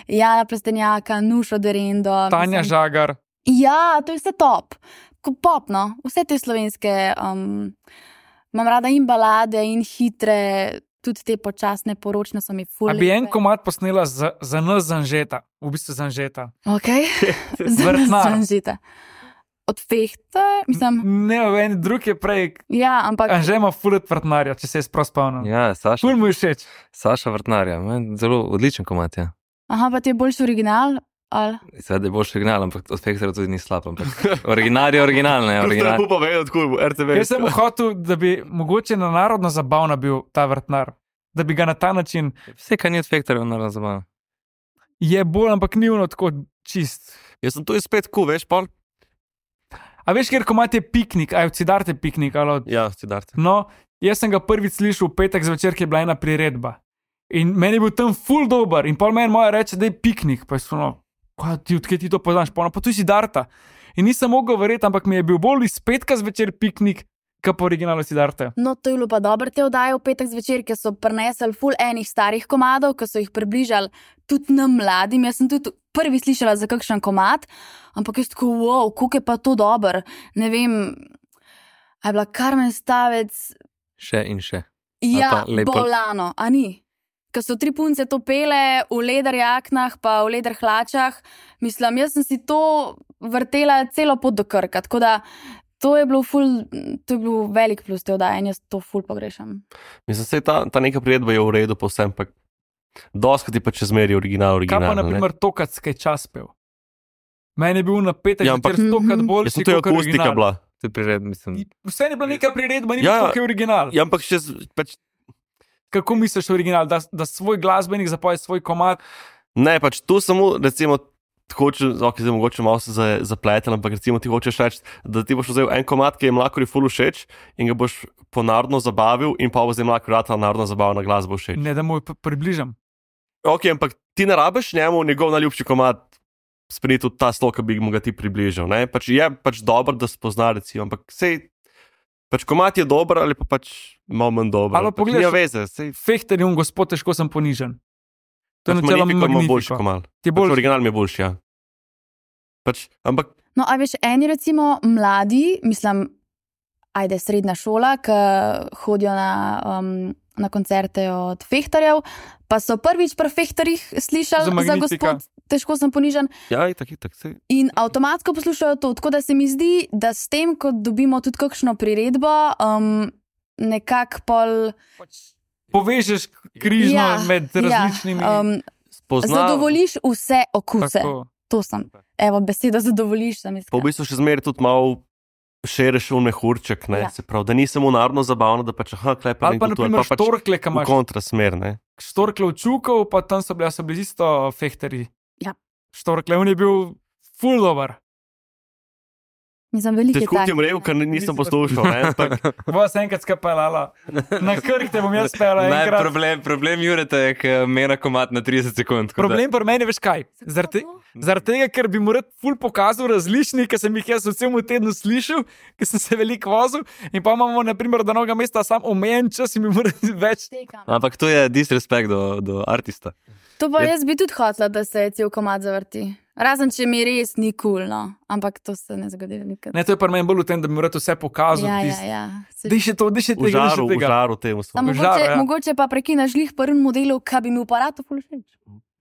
Jana Plestenjaka, Nušo Derendo. Tanja mislim- Žagar. Ja, to je vse top. Ko pop, no. Vse te slovenske. Um, imam rada in balade, in hitre, tudi te počasne, poročne so mi ful. A bi en lepe. komad posnela za, za nas Zanžeta, v bistvu Zanžeta. Ok. Vrtnar. Zanžita. Od Fehta, mislim, Ne, en drug je prej, ja, ampak Anže ima fulet vrtnarja, če se je sprav spomnil. Ja, Saša, Ful mu je všeč. Saša Vrtnarja, meni zelo odličen komat, ja. aha, pa ti je boljši original, ali? Seveda je boljši original, ampak od Fektorja tudi ni slab, ampak original je original, ne, original. Lepo povedal, odkud R T V. Jaz sem hotel, da bi mogoče na narodno zabavna bil ta vrtnar. Da bi ga na ta način Vse, kar ni od Fektorja, naravno zabavno. je bolj, ampak ni ono tako čist. Jaz sem tu spet ku, veš, pol? A veš, ker komat je piknik, aj od Sidarte piknik, ali od... Ja, Sidarte. No, jaz sem ga prvič slišal v petek zvečer, ki je bila ena priredba. In meni je bil tam ful dober. In pol meni moja reče, da je piknik. Pa je ono, kaj ti, odkje ti to poznaš? Pa ono, pa tu si Darta. In nisem mogel verjeti, ampak mi je bil bolj iz petka zvečer piknik, kot pa originalu Sidarte. No, to je bilo pa dobro te oddaje v petek zvečer, ker so prinesli ful enih starih komadov, ki so jih približali tudi nam mladim. Jaz sem tudi prvi slišala za kakšen komad, ampak jaz tako, wow, koliko je pa to dober. Ne vem, a je bila Karmen Stavec, Še in še. ja, pa lepo- bolano, a ni? Ker so tri punce to pele v leder jaknah, pa v leder hlačah. Mislim, jaz sem si to vrtela celo pot do Krka, tako da to je bilo ful, to je bil velik plus te oddaje in jaz to ful pogrešam. Mislim, se ta, ta neka priredba je v redu, povsem, pa doskrat je pa čez meri original, Kaj original. pa, na primer, to, kad skaj čas pel. Meni je bil na petek Ja, ampak- zvečer stokrat Mhm. boljši, Jaz sem to je kakor akustika original. bila. To je prired, mislim. Vse je bila neka priredba, ni Ja, ja, tako je original. Ja, ampak še, z- pač, Kako misliš original, da, da svoj glasbenik zapoje svoj komad? ne, pač tu samo, recimo, hoče, ok, zdaj mogoče malo se za- zapletel, ampak recimo ti hočeš reči, da ti boš vzel en komad, ki je mlakori ful všeč in ga boš po narodno zabavil in pa bo zdaj mlakori rata narodno zabavna glasba všeč. Ne, da mu jo p- približam. Ok, ampak ti ne rabiš njemu njegov najljubši komad sprejeti tudi ta slog, ki bi mu ga ti približal. Ne? Pač je pač dobro, da spozna, recimo, ampak sej, pač komad je dober ali pa pač malo manj dober. Ali pač pogledaš- nima veze, sej, Fehter je un gospod, težko sem ponižen. To je pač načeloma Magnifico ima boljši Magnifico. komad. Ti Pač bolj original mi je boljši, ja. Pač, ampak No, a veš, eni recimo mladi, mislim, ajde, srednja šola, ki hodijo na, um, na koncerte od Fehtarjev, pa so prvič pri Fehtarjih slišali Za za, za Magnifica. gospod, težko sem ponižen. ja, itak, itak, sej. In avtomatsko poslušajo to, tako da se mi zdi, da s tem, ko dobimo tudi kakšno priredbo, um, nekako pol. povežeš križno Ja, med različnimi. Ja, um, Spozna, zadovoljiš vse okuse. Tako. To sem. Evo, beseda zadovoljiš, sem pa v iskala. bistvu še zmeraj tudi malo šereš v mehurček, ne, Ja. se pravi, da ni samo narodno zabavno, da pač, aha, klepa Ali pa, na primer, pač štorkle, ki v imaš. kontrasmer, ne. Štorkle v Čukov, pa tam so bili, so bili isto Fehterji. Ja. Štorkle, on je bil full dober. Mislim, veliko je Težko ti takih, je rekel, ne. ker nisem Nisem poslušal, ne, ampak Bo se enkrat skapelala. Na Krk te bom jaz pela Ne, enkrat. problem, problem Jureta je, ker mera komat na trideset sekund. tako da- Problem pri meni, veš kaj? Zaradi zaradi tega, ker bi mu rad ful pokazal različni, ki sem jih jaz v celem tednu slišal, ker sem se veliko vozil, in pa imamo, na primer, do novega mesta sam omejen čas in bi moral več. Tekam. Ampak to je disrespekt do, do artista. To pa Je- jaz bi tudi hotela, da se cel komad zavrti. Razen če mi res ni kul, cool, no. Ampak to se ne zgodi nikad. Ne, to je pri meni bolj v tem, da bi mu rad vse pokazal. Ja, ja, tist- ja. Se- Daj še to, daj še v tega, daj še žaru, v tega. žaru temu A smo. mogoče, žar, ja. mogoče pa prekinaš lih prvem modelu, kaj bi mi v aparatu ful všeč.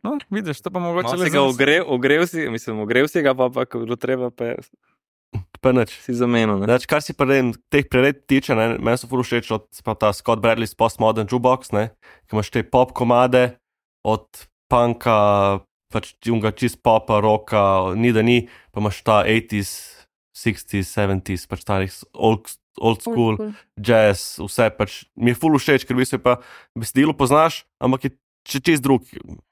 No, vidiš, to pa mogoče Malo si ga ogrev, ogrev si, mislim, ogrev si ga, pa pa ko bilo treba, pa je- Pa nič. si zamenil. ne. Znači, kar si pa ne, teh prired tiče, ne, meni so ful všeč od se pravi, ta Scott Bradley's Postmodern Jukebox, ne, ki imaš te pop komade od punka, pač unga čist popa, roka, ni da ni, pa imaš ta osemdeseti, šestdeseti, sedemdeseti, pač ta old, old school, Cool. jazz, vse pač mi je ful všeč, ker v bistvu pa besedilo poznaš, ampak je če čist drug.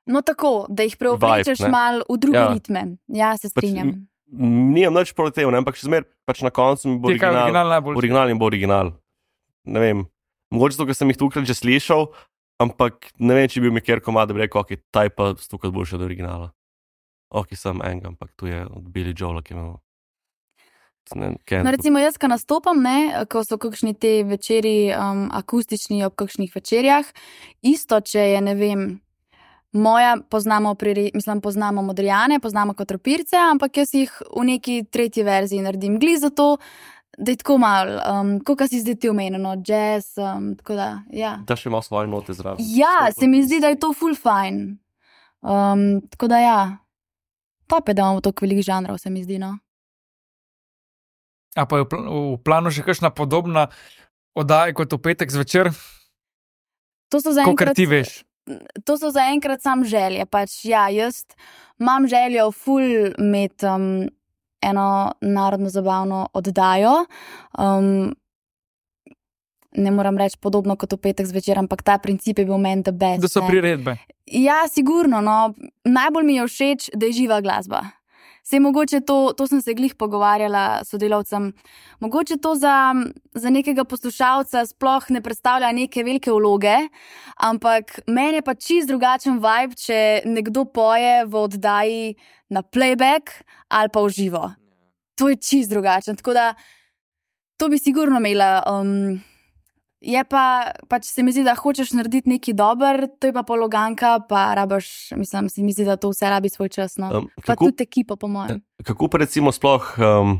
No tako, da jih preoblečeš Vibe, ne. malo v druge Ja. ritme. Ja, se Pač strinjam. Nimam nič proti temu, ne, ampak še zmer, pač na koncu mi bo Ti je kaj original. original najbolj. Original in bo original. Ne vem, mogoče to, ker sem jih tukaj že slišal, ampak ne vem, če bi bil mi kjer komad, da bi rekel, ok, ta je pa stukaj boljši od originala. Ok, sem enega, ampak tu je od Billy Joela, ki je imel ne, kaj, No, recimo jaz, ko nastopam, ne, ko so kakšni te večeri um, akustični ob kakšnih večerjah, isto, če je, ne vem, moja, poznamo, pri, mislim, poznamo Modrijane, poznamo Kotropirce, ampak jaz jih v neki tretji verziji naredim gli zato, da je tako malo, um, kako si zdaj ti omenjeno, jazz, um, tako da, ja. Da še ima svoje note zraven. Ja, se mi zdi, da je to full fine. Um, tako da ja, top je, da imamo toliko velikih žanrov, se mi zdi, no. A pa je v, pl v planu še kakšna podobna oddaja kot v petek zvečer? To so Kakor zaenkrat, ti veš. to so zaenkrat sam želje. Pač, ja, jaz imam željo ful imeti um, eno narodno zabavno oddajo. Um, ne moram reči podobno kot v petek zvečer, ampak ta princip je bil meni the best. Da so ne. priredbe. Ja, sigurno, no. Najbolj mi je všeč, da je živa glasba. Sej mogoče to, to sem se glih pogovarjala s sodelavcem, mogoče to za, za nekega poslušalca sploh ne predstavlja neke velike vloge, ampak meni je pa čist drugačen vibe, če nekdo poje v oddaji na playback ali pa v živo. To je čist drugačen, tako da to bi sigurno imela. Um, je pa, pač se mi zdi, da hočeš narediti nekaj dober, to je pa pologanka, pa rabaš, mislim, se mi zdi, da to vse rabi svoj čas, no. Um, Pa kako, tudi ekipa, po mojem. kako pa recimo sploh um,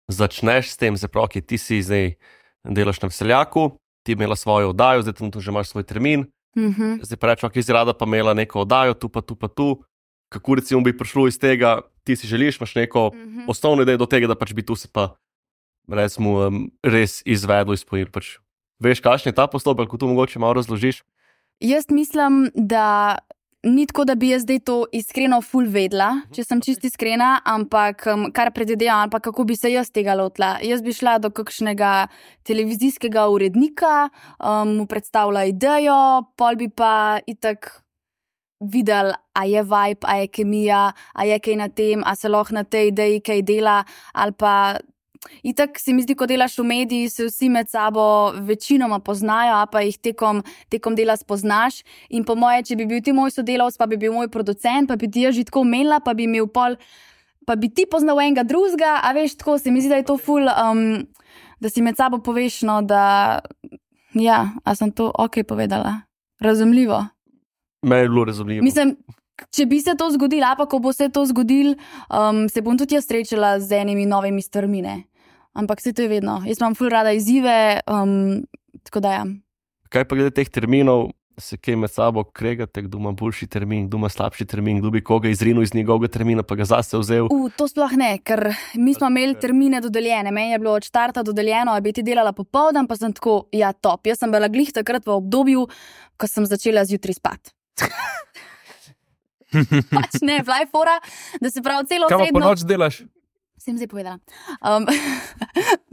začneš s tem, zaprav, ki ti si zdaj delaš na Veseljaku, ti imela svojo oddajo, zdaj tam tu že imaš svoj termin, Mhm. zdaj pa rečemo, ki si rada pa imela neko oddajo, tu pa tu pa tu. Kako recimo bi prišlo iz tega, ti si želiš, imaš neko Mhm. osnovno idejo do tega, da pač bi tu se pa recimo um, res izvedlo, izpolnilo. Pač, veš, kakšen je ta postopek, ko tu mogoče malo razložiš? Jaz mislim, da ni tako, da bi jaz zdaj to iskreno ful vedla, če sem čist iskrena, ampak um, kar predvidevam, ali pa kako bi se jaz tega lotila. Jaz bi šla do kakšnega televizijskega urednika, um, mu predstavila idejo, pol bi pa itak videl, a je vibe, a je kemija, a je kaj na tem, a se lahko na tej ideji kaj dela, ali pa itak se mi zdi, ko delaš v mediji, se vsi med sabo večinoma poznajo, a pa jih tekom, tekom dela spoznaš. In po moje, če bi bil ti moj sodelavec, pa bi bil moj producent, pa bi ti jaz že tako omenila, pa bi imel pol, pa bi ti poznal enega drugega, a veš, tako se mi zdi, da je to ful, um, da si med sabo poveš, no, da ja, a sem to ok povedala. Razumljivo. Meni je bilo razumljivo. Mislim, če bi se to zgodilo, a pa ko bo se to zgodilo, um, se bom tudi jaz srečala z enimi novimi stvarmi, ne. Ampak se to je vedno. Jaz imam ful rada izzive, um, tako da ja. Kaj pa glede teh terminov, se kaj med sabo kregate, kdo ima boljši termin, kdo ima slabši termin, kdo bi koga izrinil iz njegovega termina, pa ga zase vzel? U, to sploh ne, ker mi smo imeli termine dodeljene. Meni je bilo od štarta dodeljeno, a bi ti delala popoldan, pa sem tako, ja, top. Jaz sem bila glih takrat v obdobju, ko sem začela zjutraj spati. Pač ne, bila je fora, da se pravi celo Kaj pa po srednjo... noč delaš? Sem zdaj povedala. Um,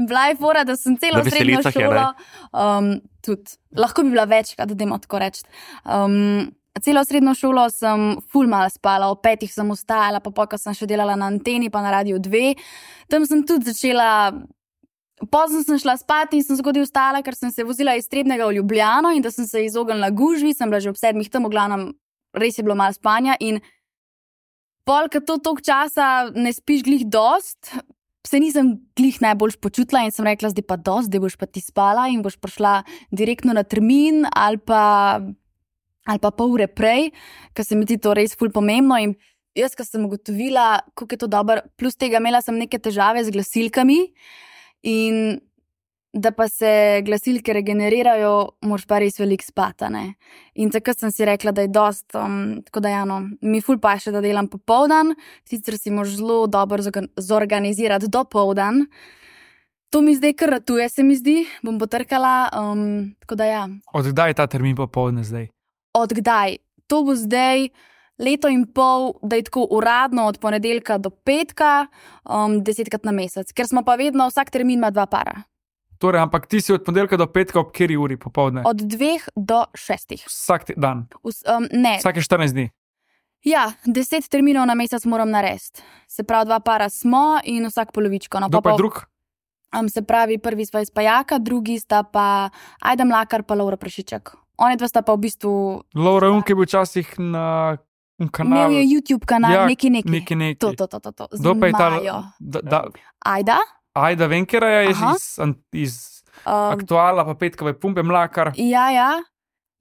bila je fora, da sem celo Na srednjo Veselicah je, šolo, um, tudi, lahko bi bila večkrat, da dajmo tako reči. Um, celo srednjo šolo sem ful malo spala, ob petih sem vstajala, pa pol, ko sem še delala na anteni, pa na Radiu dve. Tam sem tudi začela, pozno sem šla spati in sem zgodaj vstala, ker sem se vozila iz Trebnjega v Ljubljano in da sem se izognila gužvi, sem bila že ob sedmih tam, v glavnem, res je bilo malo spanja in pol, ker to toliko časa ne spiš glih dost, se nisem glih najbolj počutila in sem rekla, zdaj pa dost, zdaj boš pa ti spala in boš prišla direktno na termin ali pa, ali pa pol ure prej, ker se mi zdi to res ful pomembno in jaz, ko sem ugotovila, kako je to dobro, plus tega imela sem neke težave z glasilkami in da pa se glasilke regenerirajo, moraš pa res veliko spati, ne. In takrat sem si rekla, da je dost, um, tako da ja, no, mi ful paše, da delam popoldan, sicer si moraš zelo dobro zorganizirati dopoldan. To mi zdaj kar ratuje, se mi zdi, bom potrkala, um, tako da ja. Od kdaj je ta termin popoldne zdaj? Od kdaj? To bo zdaj leto in pol, da je tako uradno od ponedeljka do petka, um, desetkrat na mesec, ker smo pa vedno, vsak termin ima dva para. Torej, ampak ti si od ponedeljka do petka ob kateri uri popoldne? Od dveh do šestih. Vsak dan? Us, um, ne. Vsake štirinajst dni? Ja, deset terminov na mesec moram narediti. Se pravi, dva para smo in vsak polovičko. No, Kdo pa je drug? Um, se pravi, prvi sta iz Pajaka, drugi sta pa Ajda Mlakar pa Laura Prašiček. Oni dva sta pa v bistvu... Laura Unke je bil včasih na kanalu. Imel je YouTube kanal, Ja, neki neki. neki neki. To, to, to, to. to. Z Kdo pa je ta? Majo. Da, da, Ajda? Ajda Venkeraja je Aha. iz, iz Uh, Aktuala, pa Petkove pumpe, Mlakar, ja, ja.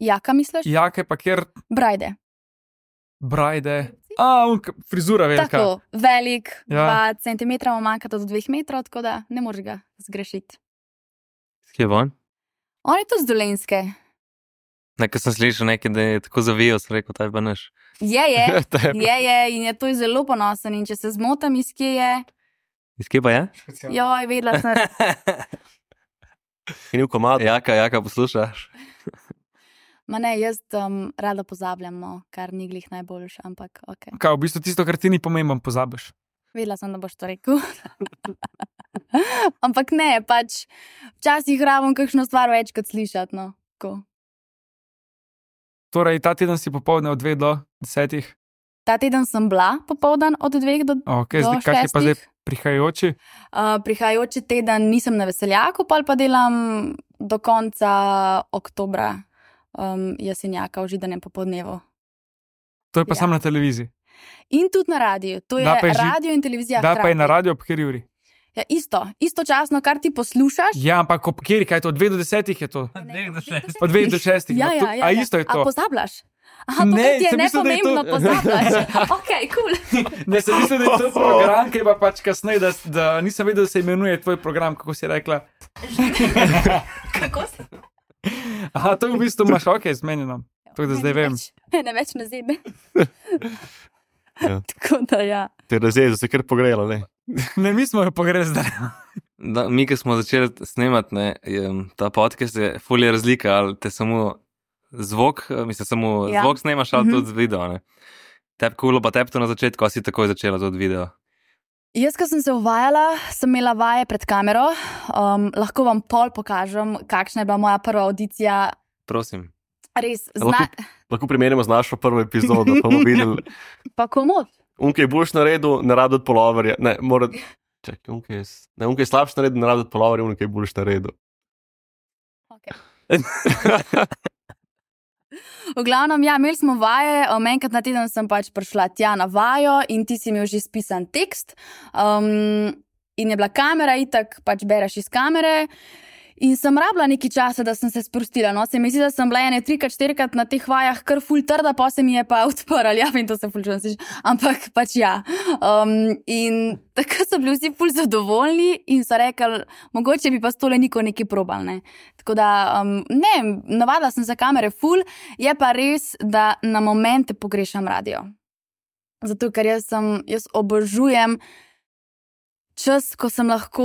Jaka misliš? Jake, pa kjer Brajde. Brajde. A, un, frizura velika. Tako, velik, Ja. dva centimetra mu manjka do dveh metrov, tako da ne moreš ga zgrešiti. Kje je on? On je tu z Dolenjske. Nekaj sem slišal, nekaj, da je tako zavijal, sem rekel, taj pa naš. Je, je, Tebi. je, je in je to zelo ponosen. In če se zmotam, iz kje je, Iz kje pa je? joj, vedela sem. In v komadu. Jaka, jaka poslušaš? Ma ne, jaz um, rada pozabljam, no, kar ni glih najboljše, ampak ok. Kaj, v bistvu tisto, kar ti ni pomembno, pozabiš. Vedela sem, da boš to rekel. Ampak ne, pač včasih rabim kakšno stvar več kot slišati. No. Tako. Torej, ta teden si popoldne od dveh do desetih. Ta teden sem bila popoldan od dveh do Okay, do zdaj, kaj je pa zdaj šestih. prihajajoči? Uh, prihajajoči teden nisem na veseljaku, pa pa delam do konca oktobra um, jesenjaka v židanem popoldnevu. To je pa Ja. samo na televiziji. In tudi na radiju. To je, Da pa je ži- radio in televizija. Da pa je hkrati. na radio ob kateri uri. Ja, isto, istočasno, kar ti poslušaš. Ja, ampak ob kateri, kaj je to? Od dveh do desetih je to. Ne, Od dveh do šestih. Ja, No, to- ja, ja, A ja. isto je A to. pozabljaš? Aha, to Ne, ne, ti je sem mislil, da je to- nepomembno, pozabljaš. Ok, kul. Ne, sem mislil, da je to program, ki je pa pač kasneje, da, da nisem vedel, da se imenuje tvoj program, kako si rekla. Kako si? Aha, to v bistvu imaš, ok, zmenjeno. Tako da zdaj vem. Ne več ne zebe. Ja. Tako da ja. Te razjezi se kar pogrela, ne? Ne, mi smo jo pogreli zdaj. Da, mi, ki smo začeli snemati, ne, je, ta podcast je fulje razlika, ali te samo zvok, mislim, samo Ja. ja. zvok snemaš, ali Mhm. tudi video. Ne. Tep kulo, pa tep to na začetku, a si takoj začela tudi video. Jaz, ko sem se uvajala, sem imela vaje pred kamero. Um, lahko vam pol pokažem, kakšna je bila moja prva audicija. Prosim. Res, Lahko, zna... lahko primerjamo z našo prvo epizodo, pa bomo videli. pa komod. Unke je boljš naredil, ne rabi od poloverja. Ne, mora... Čakaj, unke je, s- ne, unke je slabš naredil, ne rabi od poloverja, unke je boljš naredil. Okay. V glavnem, ja, imeli smo vaje, um, enkrat na teden sem pač prišla tja na vajo in ti si imel že spisan tekst. Um, in je bila kamera, itak pač bereš iz kamere. In sem rabila nekaj časa, da sem se sprostila. No, se mi zdi, da sem bila ene trikrat, štirikrat na teh vajah kar ful trda, pa se mi je pa odprla. Ja, vem, to se ful čujem, ampak pač ja. Um, in tako so bili vsi ful zadovoljni in so rekli, mogoče bi pa s tole niko nekaj probal. Ne. Tako da, um, ne, navadila sem za kamere ful, je pa res, da na momente pogrešam radio. Zato, ker jaz, sem, jaz obožujem čas, ko sem lahko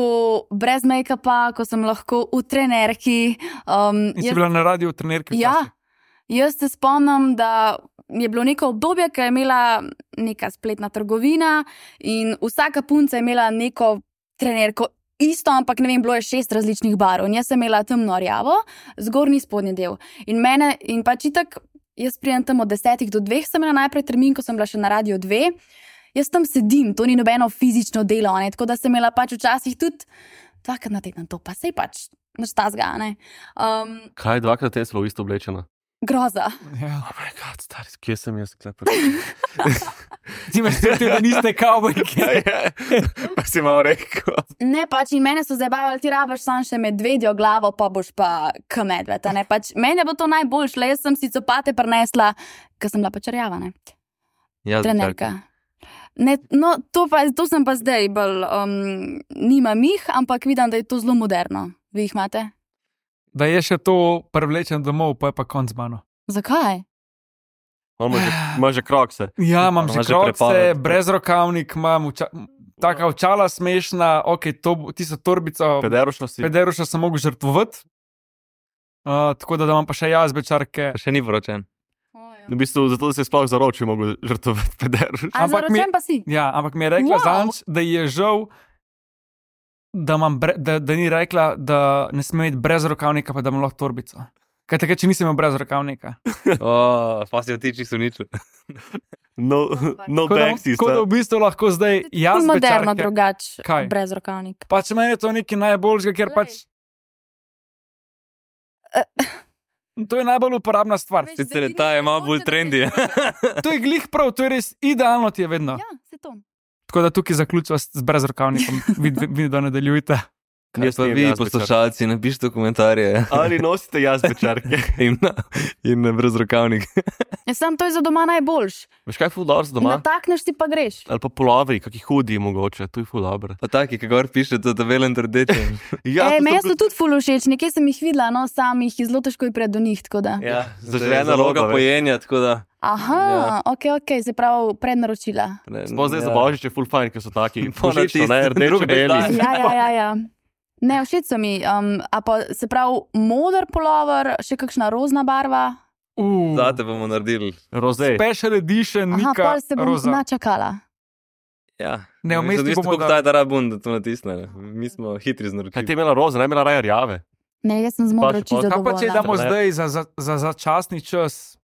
brez make-upa, ko sem lahko v trenerki. Um, In si bila na radiju v trenerki. Ja, jaz se spomnim, da je bilo neko obdobje, ko je imela neka spletna trgovina in vsaka punca je imela neko trenerko. Isto, ampak ne vem, bilo je šest različnih barv. In jaz sem imela temno rjavo, zgornji spodnji del. In mene, in pač itak, jaz prijem tam od desetih do dveh, sem imela najprej termin, ko sem bila še na radiju dve. Jaz tam sedim, to ni nobeno fizično delo, ne? Tako da sem imela pač včasih tudi dvakrat na teden to, pa sej pač naštazga. Um, Kaj dvakrat te smo v isto oblečena? groza. Ja. Oh my god, stari, kje sem jaz klepar? Ti imaš tudi, da niste kavbojki. Pa si malo rekel. Ne, pač in mene so zabavali, ti rabaš sam še medvedjo glavo, pa boš pa k medved. ne. Pač meni je bilo to najboljše, le jaz sem si copate prinesla, ker sem bila pač rjava, ne. Ja, Trenerka. Ne, no, to, pa, to sem pa zdaj bolj, um, nimam jih, ampak vidim, da je to zelo moderno. Vi jih imate? Da je še to privlečen domov, pa je pa konc z mano. Zakaj? On ima že, ima že krokse. Ja, imam že Imaš že krokse, prepoved. brez rokavnik, imam uča, taka očala smešna, ok, to, tisto torbico, Pederušno si. pederuša sem mogel žrtvovati. Uh, tako da, da imam pa še jaz bečarke. Še ni vročen. V bistvu zato, da se je sploh zaročil, mogel žrtvovati pederuš. A Ampak mi- zaročen pa si? Ja, ampak mi je rekla Wow. wow. zanč, da ji je žal, da, imam bre, da, da ni rekla, da ne sme imeti brez rokavnika, pa da imam lahko torbico. Kaj takrat, če nisem imel brez rokavnika. O, pa si otiči so nič. No, no Tako da, backseat. tako da v bistvu lahko zdaj jaz Ful moderno bečarke. drugač, Kaj? brez rokavnik. Pač meni je to nekaj najboljšega, ker Glej. pač. To je najbolj uporabna stvar. Veš, Sicer je zdaj ti ta ni je malo mogoče, bolj da trendi. bi- To je glih prav, to je res idealno ti je vedno. Ja, se to. Tako da tukaj zaključiva s s brezrokavnikom. Vi, vi da nadaljujte. Kaj Jaz pa nimam vi, jazbečarke. poslušalci, napišite komentarje Ali nosite jazbečarke? in, in brezrokavnik. Ja, sam to je za doma najboljš. Veš kaj je ful dobro za doma? Natakneš si pa greš. Ali pa polovri, kakih hudi mogoče, to je ful dobro. Pa taki, ki gor pišete, da velen trdeče. Ja, Ej, to meni so so tudi ful všeč, nekje sem jih videla, no, sam jih je zelo težko pred do njih, tako da. Ja, Zaželena zaloga roba, veš. pojenja, tako da. Aha, Ja. ok, ok, se pravi prednaročila. Ne, Sploh zdaj ja. za božič je ful fajn, ker so taki Po na božično, ne, tisti rdeče, drugi beli. dan. Ja, ja, ja, ja. Ne, všeč so mi. Um, a pa se pravi moder polover, še kakšna rozna barva. Uh, Zate bomo naredili. Roze. special edition, Aha, Nika pol se bom Roza. načakala. Ja. Ne, vmes ti bomo Kako da- taj da rabun, da to natisne. ne. Mi smo hitri z Kaj ti naročili. je imela roze, ne je imela raje rjave? Ne, jaz sem z modro Pa še čisto pol- Kaj pa če zadovoljna. damo Ne. zdaj za, za, za začasni čas?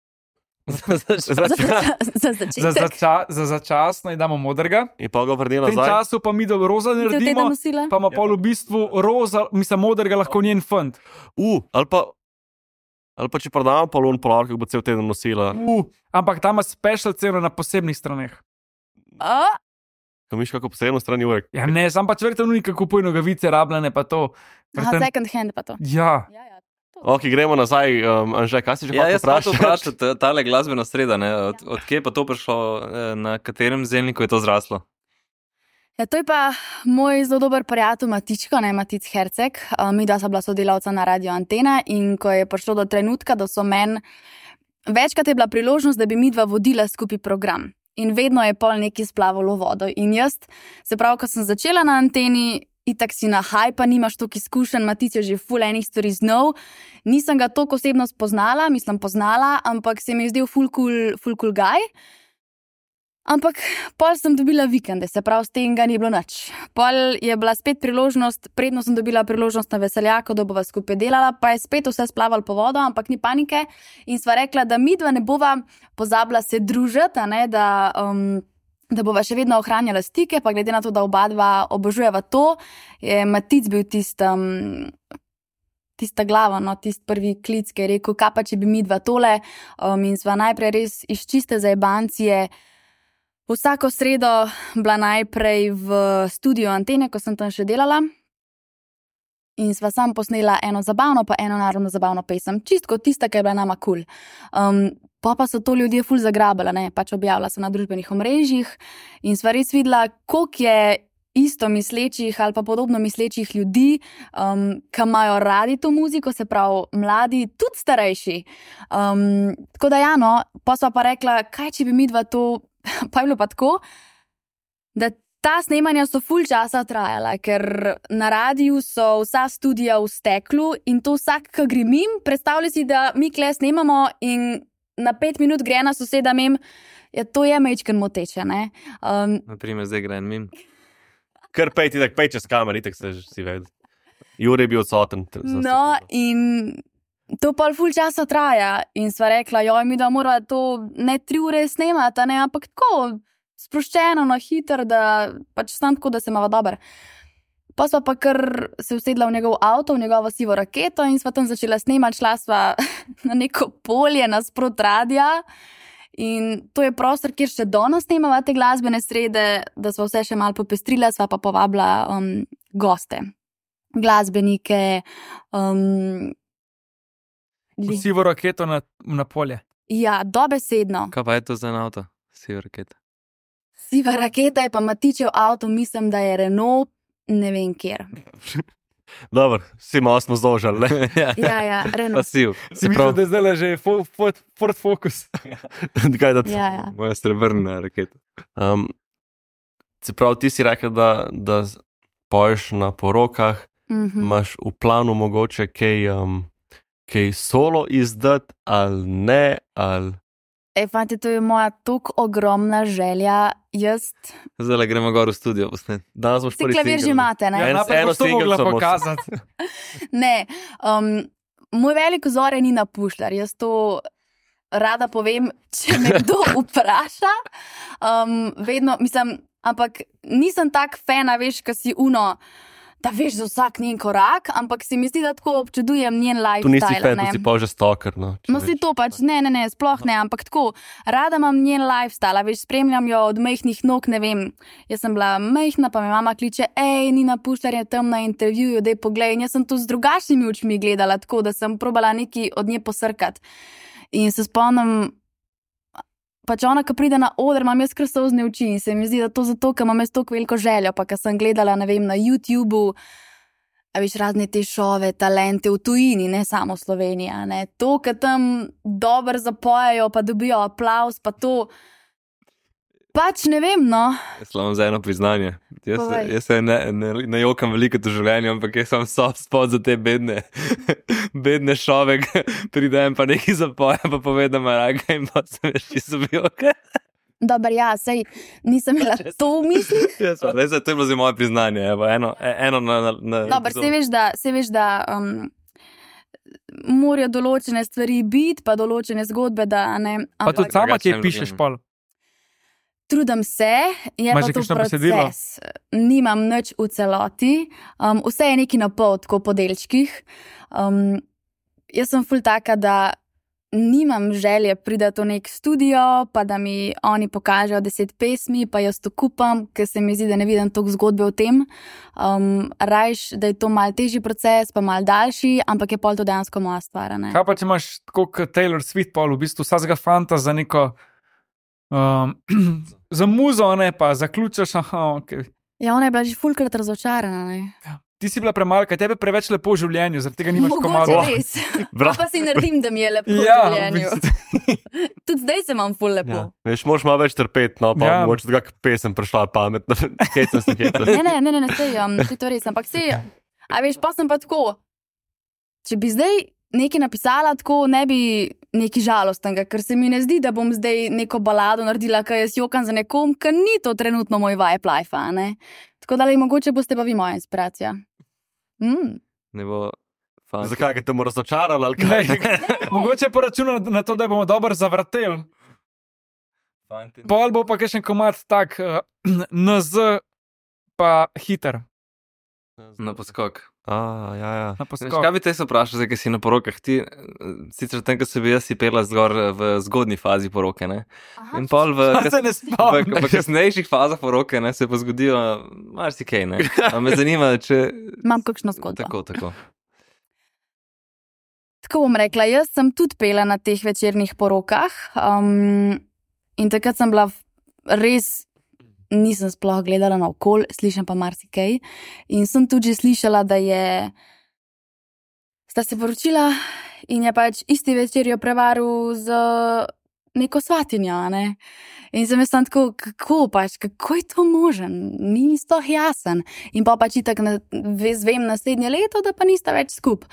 Za, za Za, začetek. zača, za začasno in damo modrega. In pa ga vrni V tem nazaj. času pa mi do roza Za teden naredimo, nosila. pa ima pol v bistvu roza, mislim, modrega lahko njen fant. Uh, ali pa, ali pa če prodamo polon polar, kako bo cel teden nosila. Uh, ampak tam ima special ceno na posebnih straneh. A? Ko miš kako posebno strani urek. Ja, ne, sam pač verjetno unika kupuje nogavice, rabljene pa to. Aha, Verjetno- second hand pa to. Ja, Ja, ja. Ok, gremo nazaj. Um, Anže, kaj si že Ja, hotel jaz sem to vprašati? vprašal, tale glasbena sreda, ne? Od, od kje pa to prišlo, eh, na katerem zelniku je to zraslo? Ja, to je pa moj zelo dober prijatelj Matičko, ne Matic Herceg. Uh, mi dva sva bila sodelavca na Radio Antena in ko je prišlo do trenutka, da so meni večkrat je bila priložnost, da bi mi dva vodila skupaj program. In vedno je pol nekaj splavalo v vodo. In jaz, se pravi, ko sem začela na anteni, itak si na haj, pa nimaš toliko izkušenj, Matic je že ful enih stvari znov. Nisem ga toliko osebno spoznala, mislim poznala, ampak se mi je zdel ful cool, ful cool guy. Ampak pol sem dobila vikende, se pravi, s tem ga ni bilo nič. Pol je bila spet priložnost, predno sem dobila priložnost na veseljaku, da bova skupaj delala, pa je spet vse splavalo po vodo, ampak ni panike. In sva rekla, da mi dva ne bova pozabila se družiti, a ne, da, um, da bova še vedno ohranjala stike, pa glede na to, da oba dva obožujeva to, je Matic bil tisti. Um, Tista glava, no, tisti prvi klic, ki je rekel, kaj pa če bi mi dva tole. Um, in sva najprej res iz čiste zajebancije vsako sredo bila najprej v studiu Antene, ko sem tam še delala. In sva sam posnela eno zabavno, pa eno narodno zabavno pesem. Čistko tista, ki je bila nama kul. Cool. Um, pa pa so to ljudje ful zagrabila, ne, pač objavila sem na družbenih omrežjih in sva res videla, koliko je isto mislečih ali pa podobno mislečih ljudi, um, ki imajo radi to muziko, se pravi mladi, tudi starejši. Um, tako da ja, no, pa sva pa rekla, kaj če bi mi dva to, pa je bilo pa tako, da ta snemanja so ful časa trajala, ker na radiju so vsa studija v steklu in to vsak, ki gre mim, predstavlja si, da mi kle snemamo in na pet minut gre ena soseda mim, ja, to je mečken moteče, ne. Um, Naprimer, zdaj gre en mim. Kar pej ti tak pej čez kamer, itak se že si vedel. Jure je bil odsoten. t- za No, sekundo. in to pol ful časa traja. In sva rekla, joj, mi da mora to ne tri ure snemati, ne, ampak tako sproščeno, no, hiter, da pač sam tako, da se imava dober. Pa sva pa kar se usedla v njegov avto, v njegovo sivo raketo in sva tam začela snemati, šla sva na neko polje nasprot radia. In to je prostor, kjer še danes snemava te glasbene srede, da sva vse še malo popestrila, sva pa povabila um, goste, glasbenike. Um, li- sivo raketo na, na polje. ja, dobesedno. Kaj pa je to za en avto? Siva raketa. Siva raketa je pa Matičev avto, mislim, da je Renault, ne vem kjer. Dobro, vsi malo smo zožali, ne? ja, Ja, ja, Renault. pasiv. Si mislil, da je zdaj že Fo- Ford, Ford Focus. Kaj, da, Ja, ja. Moja srebrna raketa. um, se pravi, ti si rekel, da, da z- poješ na porokah, Mhm. imaš v planu mogoče kaj, um, kaj solo izdati ali ne, ali E, fante, to je moja tako ogromna želja. Jaz, Zdaj gremo gor v studio posnet. danes boš si prvi klavir že single. imate, ne? Ja, Ja, en- eno to single mogla samo- pokazati. Ne, um, moj velik vzor je Nina Pušlar. Jaz to rada povem, če me kdo vpraša. Um, vedno, mislim, ampak nisem tak fan, a veš, ki si uno. da veš za vsak njen korak, ampak se mi zdi, da tako občudujem njen lifestyle. Tu nisi fan, tu si pa že stalker. No, no si to pač, ne, ne, ne, sploh ne, ampak tako, rada imam njen lifestyle, veš, spremljam jo od majhnih nog, ne vem, jaz sem bila majhna, pa me mama kliče, ej, Nina Pušlar je tam na intervjuju, daj poglej, in jaz sem to z drugačnimi očmi gledala, tako da sem probala nekaj od nje posrkati. In se spomnim, pač ona, ko pride na oder, imam jaz kar solzne oči in se mi zdi, da to zato, ker imam jaz toliko veliko željo, pa ker sem gledala, ne vem, na YouTubeu, a veš, razne te šove, talente v tujini, ne samo Slovenija, ne, to, ker tam dobro zapojajo, pa dobijo aplavz, pa to, pač ne vem, no. Jaz imam za eno priznanje. Jaz, jaz se ne, ne, ne jokam veliko v življenju, ampak jaz sem soft spot za te bedne, bedne šove, pridem pa nekaj zapoja, pa povedam raga in pa sem veš, če so bil ok. Dobar, ja, sej nisem imela to v mislih. Jaz pa, zdaj, to je bilo za moje priznanje, evo, eno, eno na... na, na Dobar, se veš, da, se veš, da um, morajo določene stvari biti, pa določene zgodbe, da ne... Pa tudi sama ti pišeš pol. Trudim se, je pa to proces. Nimam nič v celoti, um, vse je neki na pol, tako po delčkih. Um, jaz sem ful taka, da nimam želje priti v nek studio, pa da mi oni pokažejo deset pesmi, pa jaz to kupam, ker se mi zdi, da ne vidim toliko zgodbe o tem. Um, rajš, da je to mal težji proces, pa mal daljši, ampak je pol to dejansko moja stvar. Ne? Kaj pa če imaš tako kot Taylor Swift pol, v bistvu vsega fanta za neko Um, za muzo, ne pa, zaključaš, aha, ok. Ja, ona je bila že fulkrat razočarana, ne. Ja. Ti si bila premalka, tebe preveč lepo v življenju, zaradi tega nimaš komado. Mogoče res. Pa si naredim, da mi je lepo ja, v življenju. Tudi zdaj se imam ful lepo. Ja. Veš, moraš malo več trpeti, no, pa ja. Mogoče da kak pesem prišla pametno. Hecam se, hecam. Ne, ne, ne, ne, ne, sej, um, sej to res, ampak sej, a veš, pa sem pa tako, če bi zdaj nekaj napisala, tako ne bi nekaj žalostnega, ker se mi ne zdi, da bom zdaj neko balado naredila, ker jaz jokam za nekom, ker ni to trenutno moj vibe life, ne? Tako da, mogoče boste pa vi moja inspiracija. Mm. Ne bo fant. Zakaj, ker te bo razočarala, ali kaj? Mogoče poračuna na to, da bomo dobro zavrteli. Pol bo pa kakšen komad tak, uh, N Z pa hiter. Na poskok. A, ja, ja. Na poskok. Veš, kaj bi te se vprašal, zdaj, ki si na porokah? Ti, sicer tem, ko se bi jaz si pela zgor v zgodni fazi poroke, ne? Aha. In pol v, Pa se ne v, spomniš. v kasnejših fazah poroke, ne, se pa zgodijo marsikaj, ne? A me zanima, če... Imam kakšno zgodbo. Tako, tako. Tako bom rekla, jaz sem tudi pela na teh večernih porokah um, in takrat sem bila res, nisem sploh gledala na okol, slišam pa marsikaj in sem tudi že slišala, da je sta se poročila in je pač isti večer jo prevaril z neko svatinjo, ne? In sem jaz tam tako, kako pač, kako je to možen? Ni sploh jasen. In pa pač itak na, zvem naslednje leto, da pa nista več skup.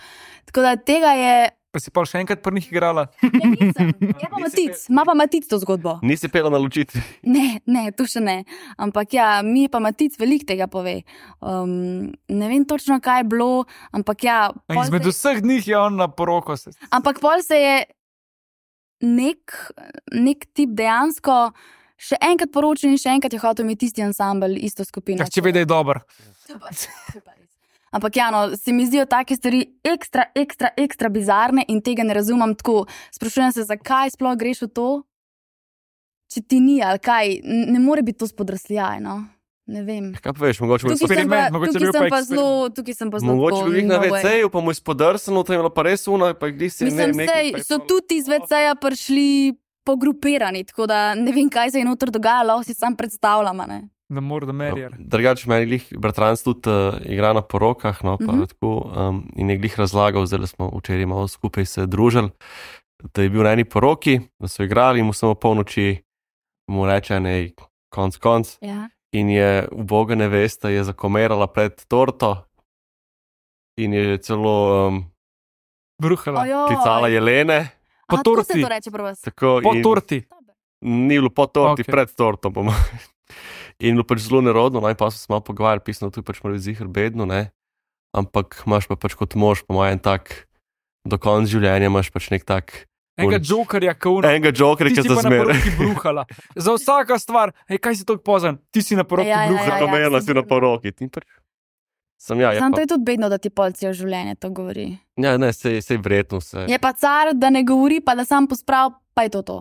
Tako da tega je... Pa si pol še enkrat pri njih igrala? Ne, nisem. Je pa Matic, ima pa Matic to zgodbo. Nisi pela na ločitvi? Ne, ne, to še ne. Ampak ja, mi pa Matic veliko tega pove. Um, ne vem točno, kaj je bilo, ampak ja... Izmed se... vseh njih je on na poroko. Se... Ampak pol se je nek, nek tip dejansko še enkrat poročil in še enkrat je hotel imeti tisti ansambel, isto skupino. Ja, če ve, da je dober. Super, super. Ampak ja, no, se mi zdijo take stvari ekstra, ekstra, ekstra bizarne in tega ne razumem tako. Sprašujem se, zakaj sploh greš v to, če ti ni ali kaj. Ne more biti to spodrsljaj, no. Ne vem. Kaj pa veš, mogoče bo eksperiment, mogoče tukaj bil sem pa pa zelo, tukaj sem pa zelo mogoče tako, bi jih na no way. ve ceju, pa mu je spodrsano, to je bilo pa res uno, pa gdi si Mislim, ne, sej, so tudi iz ve ceja prišli pogrupirani, tako da ne vem, kaj se je noter dogajalo, si sam predstavljam, a ne. The more the merrier. Drugače, meni glih bratranc tudi uh, igra na porokah, no, pa Mhm. tako, um, in je glih razlagal, zdaj smo včeraj malo skupaj se družili, da je bil na eni poroki, da so igrali in mu samo polnoči mu reče, ne, konc, konc, Ja. in je uboga nevesta je zakomerala pred torto in je celo um, Bruhala. Ojoj. klicala Jelene, Po Aha, tako torti. se to reče pri vas. tako Po in torti. ni bilo po torti, Ok. okay. Pred torto, po mojem. In bilo pač zelo nerodno, no, in pa smo se malo pogovarjali, pisno, tu pač mora biti ziher bedno, ne, ampak imaš pa pač kot mož, po mojem, tak, do konca življenja imaš pač nek tak, Enega jokerja, ki uno. enega jokerja, Ti ki si za pa na zmer. poroki bruhala. Za vsaka stvar, hej, kaj si tako pozan? Ti si na poroki Ja, ja, ja, bruhala. ja. Zakomerila sem si na sigurna. poroki. In pač Sem ja, je Sam pa, to je tudi bedno, da ti polcijo življenje to govori. ja, ne, sej, sej vredno se. Je pa car, da ne govori, pa da sam posprav, pa je to to.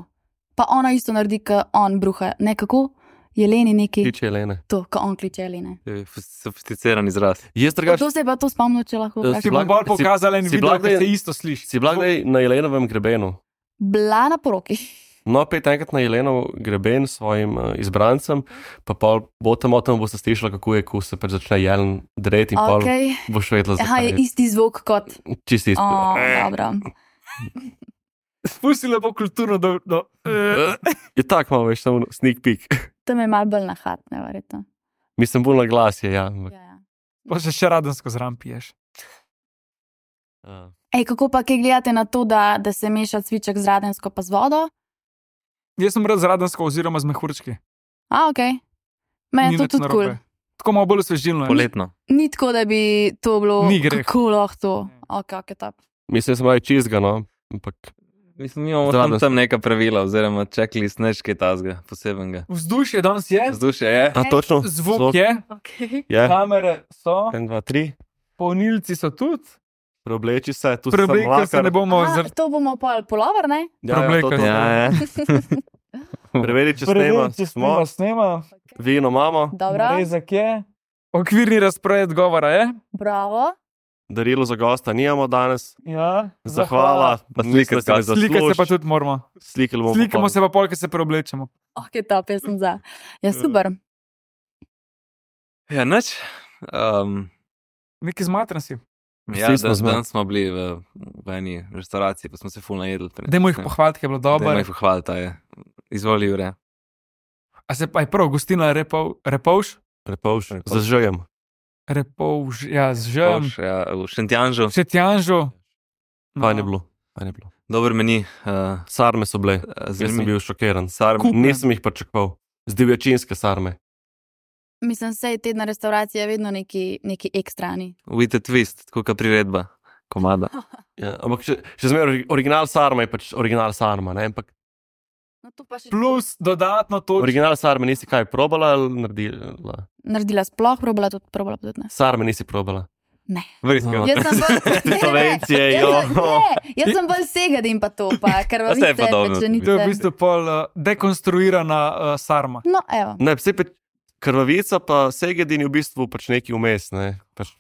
Pa ona isto naredi, kot on bruha. Ne kako? Jeleni neki. Kliče Jelene. To, ko on kliče Jelene. Je sofisticiran izraz. Jaz drugač, To se je pa to spomnil, če lahko Eh, vprašam. Ti bom Blag- bolj si- pokazal en si video, Blag- ki se isto sliši. si bila kdaj na Jelenovem grebenu? Bila na poroki. No, pet enkrat na Jelenov greben s svojim uh, izbrancem, pa pol bo tam o tem boste slišali, kako je, ko se pač začne jelen dreti in pol Okay. boš vedela, Aha, je zakaj. isti zvok kot. Čisti isto. O, dobro. Spusti lepo kulturno do... do Je tak malo, veš, samo sneak peek. Tam je malo bolj nahatne, verjetno. Mislim, bolj na glas je, ja. ampak, Ja, ja. Pa še še radensko zram piješ. uh, Ej, kako pa kaj gledate na to, da, da se meša cviček z radensko pa z vodo? Jaz sem rad z radensko oziroma z mehurčki. A, ok. Meni Ni je to nič tudi kul. narobe. Tako malo bolj osvežilno. je. Poletno. Ni tako, da bi to bilo. Ni greh. Kako lahko to? Ok, ok, top. mislim, da sem malo čizga, no. Ampak Mislim, mi imamo Zraven. tam, tam neka pravila, oziroma checklist, nekaj tazga, posebenega. Vzdušje danes je, Vzdušje je. A, točno? zvok je, Okay. Je. kamere so, En, dva, tri. polnilci so tudi. Preobleči se, tu Preoblekli se ne bomo A, zr... to bomo pol polover, ne? Ja, ja, to, preoblekli. to. Ja, ja. Preveri, če snema. če Smo, snema, snema. vino imamo, Dobro, Rezak je. Okvirni razpored govora je. bravo. darilo za gosta nimamo danes. Ja, Zahvala. Pa Mislim, slike da se ne zgodi. Slikati se zasluži. pa tudi moramo. Slikali bomo. Slikamo pol. se pa pol, ko se preoblečemo. Ok, top, jaz sem za. Ja, super. Ja, nič. Um, Neki zmatran si. ja, Vsi smo dan, zma- dan smo bili v, v eni restauraciji, pa smo se ful najedli. Dajmo jih pohvaliti, ker je bilo Dajmo dobro. jih pohvaliti, ta je. Izvoli, Jure. A se pa je prav, gostina Repov, Repovš? Prepovš. Prepovš. Zažujem. Repovš, ja, z žem. Povš, ja, v Šentjanžu. Še tjanžo. Fajn je bilo. Fajn je bilo. Dober meni. Uh, Sarme so bile. Jaz sem Zanimiv. bil šokiran. Sarm. Kup- Nisem jih pričakoval. Z divjačinske sarme. Mislim, sej tedna restauracija je vedno neki, neki ekstrani. With a twist, tako kot priredba, komada. Ja, ampak še, še zmeraj original sarma je pač original sarma. Ne? Ampak No, to pa še Plus dodatno to. original sarme nisi kaj probala ali naredila? naredila sploh, probala tudi, probala pa tudi ne. Sarme nisi probala. Ne. Verjetno. No. Jaz sem bolj, ne, ne, Slovencije, jaz jo. sem- ne, jaz sem bolj segadim pa to, pa Saj krvavice, je podobno. pečenice. To je v bistvu pol uh, dekonstruirana uh, sarma. No, evo. Ne, vse pe krvavica pa segedin je v bistvu pač neki vmes. Ne? Pač,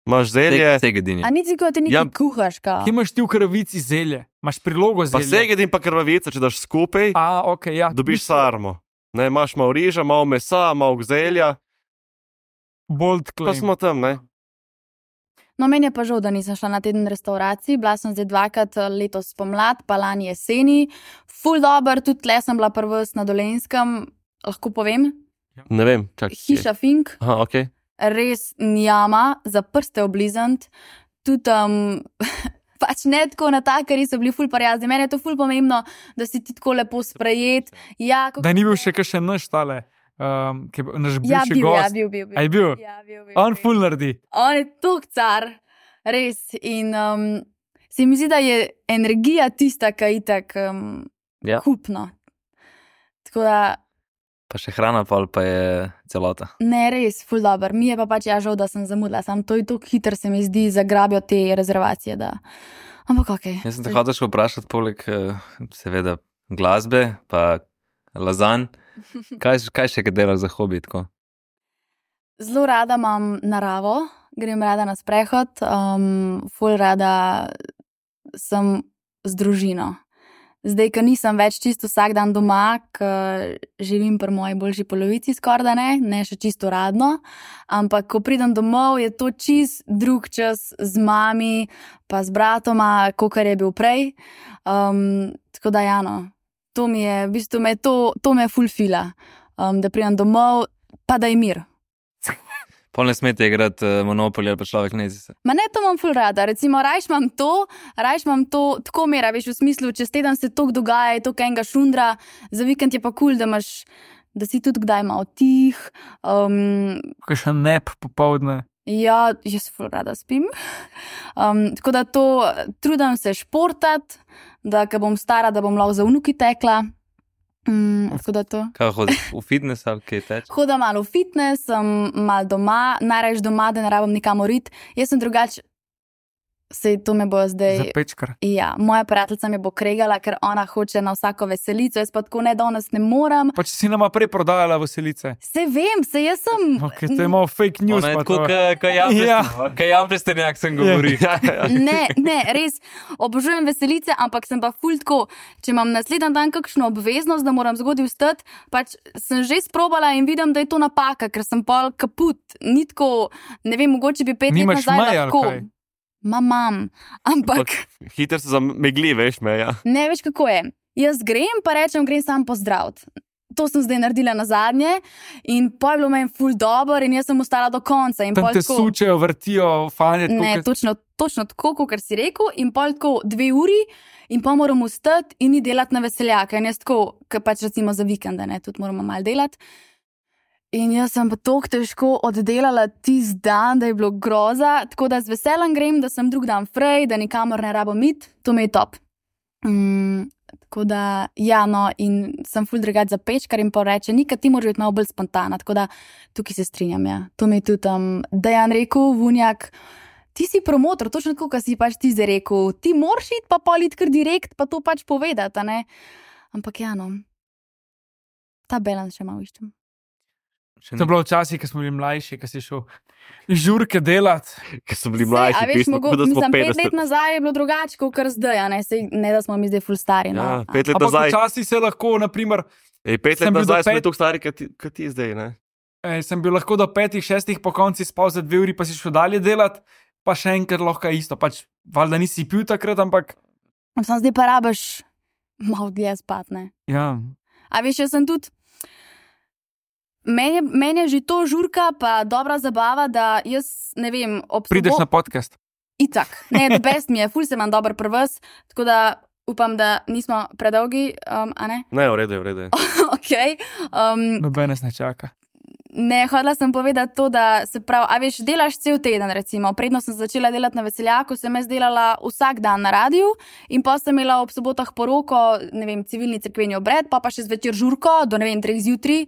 imaš zelje, Segedini. A ni tako, da ti nekaj Ja. kuhaš, kao? Kje imaš ti v krvici zelje? Imaš prilogo pa zelja? segedin pa krvavica, če daš skupaj, A, ok, ja. dobiš sarmo. Ne, imaš malo riža, malo mesa, malo zelja, Bold pa claim. smo tam, ne? No, meni je pa žal, da nisem šla na teden restauracij. Bila sem zdaj dvakrat eh, letos pomlad, pa lani jeseni. Ful dober, tudi tle sem bila prvs na Dolenskem, lahko povem. Ne vem, čakaj. Hiša Fink, Aha, ok. res njama, za prste oblizant. Tudi um, pač ne tako na takari so bili ful prijazni. Meni je to ful pomembno, da si ti tako lepo sprejet. Ja, kako- Da ni bil še kakšen naš tale, um, ki je bil naš Ja, bivši bil, ja, gost. bil, bil, bil. A je bil? Ja, bil, bil, On bil. ful naredi. On je tok car, res. In um, se mi zdi, da je energija tista, ki je itak um, Ja. kupno. Tako da, Pa še hrana, pol pa je celota. ne, res, ful dobr. Mi je pa pač ja žal, da sem zamudila. Sam to je tako hitro, se mi zdi, zagrabijo te rezervacije. Da... Ampak ok. Jaz sem te hotel še vprašati, poleg eh, seveda glasbe, pa lazanj. Kaj, kaj še kaj delaš za hobi? Tako? Zelo rada imam naravo, grem rada na sprehod, um, ful rada sem z družino. Zdaj, ko nisem več čisto vsak dan doma, ker živim pri moji boljši polovici, skoraj da ne, ne še čisto radno, ampak ko pridem domov, je to čist drug čas z mami, pa z bratoma, kot je bil prej. Um, tako da, Jano, to mi je, v bistvu me to, to me fulfila, um, da pridem domov, pa da je mir. Pol ne smete igrati uh, Monopoly ali pa človek ne zise. Ma ne, to imam ful rada. Recimo, rajš imam to, rajš imam to tako mera, veš, v smislu, čez teden se to dogaja, je to enega šundra, za vikend je pa kul, cool, da imaš, da si tudi kdaj malo tih. Um, Kakšen nep popovdne. ja, jaz ful rada spim. Um, tako da to, trudim se športati, da ko bom stara, da bom lahko za vnuki tekla. Mm, tako da to. Kaj hodiš v fitness ali kaj teč? Hodim malo v fitness, sem malo doma, najraje doma, da ne rabim nikamor iti. Jaz sem drugače. Sej to me bo zdaj. Za pečkar. Ja, moja prijateljica me bo kregala, ker ona hoče na vsako veselico, jaz pa tako ne danes ne morem. Pa če si nama prej prodajala veselice. Se vem, se jaz sem. Ok, to je malo fake news. Ona je pa tako, to. kaj jam prestenjak sem govori. Ne, ne, res obožujem veselice, ampak sem pa ful tako, če imam naslednji dan kakšno obveznost, da moram zgodaj vstati, pač sem že sprobala in vidim, da je to napaka, ker sem pol kaput. Ni tako, ne vem, mogoče bi pet Nimaš let nazaj meja, ali lahko. kaj? Ma mam, ampak Hiter se zamegli, veš me, ja. ne veš, kako je. Jaz grem, pa rečem, grem sam pozdraviti. To sem zdaj naredila na zadnje in pol je bilo meni ful dobro in jaz sem ostala do konca. In Tam pol te tako, sučejo, vrtijo, fanje. tako ne, kot- točno, točno tako, kot si rekel, in pol tako dve uri in pa moram vstati in ni delati na veseljaka. In jaz tako, ker pač recimo za vikende, ne, tudi moramo malo delati. In jaz sem pa tako težko oddelala tisti dan, da je bilo groza, tako da z veseljem grem, da sem drug dan frej, da nikamor ne rabim iti, to mi je top. Mm, tako da, ja, no, in sem ful drugač za pečkar in pa reče, nikaj ti moraš biti malo bolj spontana, tako da tukaj se strinjam, ja. To mi je tudi um, Dejan rekel, Vunjak, ti si promotor, točno tako, kot si pač ti zdaj rekel, ti moraš iti pa pol iti kar direkt, pa to pač povedati, a ne. Ampak ja, no, ta balans še malo iščem. To je bilo včasih, ko smo bili mlajši, ko si šel žurke delati. Ker so bili Sej, mlajši, a veš, pismo, mogo, kot da smo mislim, pet let petdeset. nazaj je bilo drugače, kot kar zdaj, a ne, Sej, ne da smo mi zdaj ful stari. No. Ja, pet let Ampak nazaj. včasih se lahko, naprimer, Ej, pet sem let bil do nazaj smo pet- bili tako stari, kot ti, kot ti zdaj, ne? eh, sem bil lahko do petih, šestih po konci spal za dve uri, pa si šel dalje delati, pa še enkrat lahko isto. Pač, valjda nisi pil takrat, ampak Sam zdaj pa rabiš malo dlje spat, ne. ja. A veš, jaz sem tudi. Meni je, meni je že to žurka, pa dobra zabava, da jaz ne vem, ob Prideš na podcast. Itak, ne, the best mi je, ful se imam dober prvs, tako da upam, da nismo predolgi, um, a ne? Ne, v redu je, v redu je. Ok. Um, Noben nas ne čaka. ne, hodila sem povedati to, da se pravi, a veš, delaš cel teden, recimo. Predno sem začela delati na veseljaku, sem jaz delala vsak dan na radiju in pa sem imela ob sobotah poroko, ne vem, civilni cerkveni obred, pa pa še zvečer žurko, do ne vem, treh zjutraj.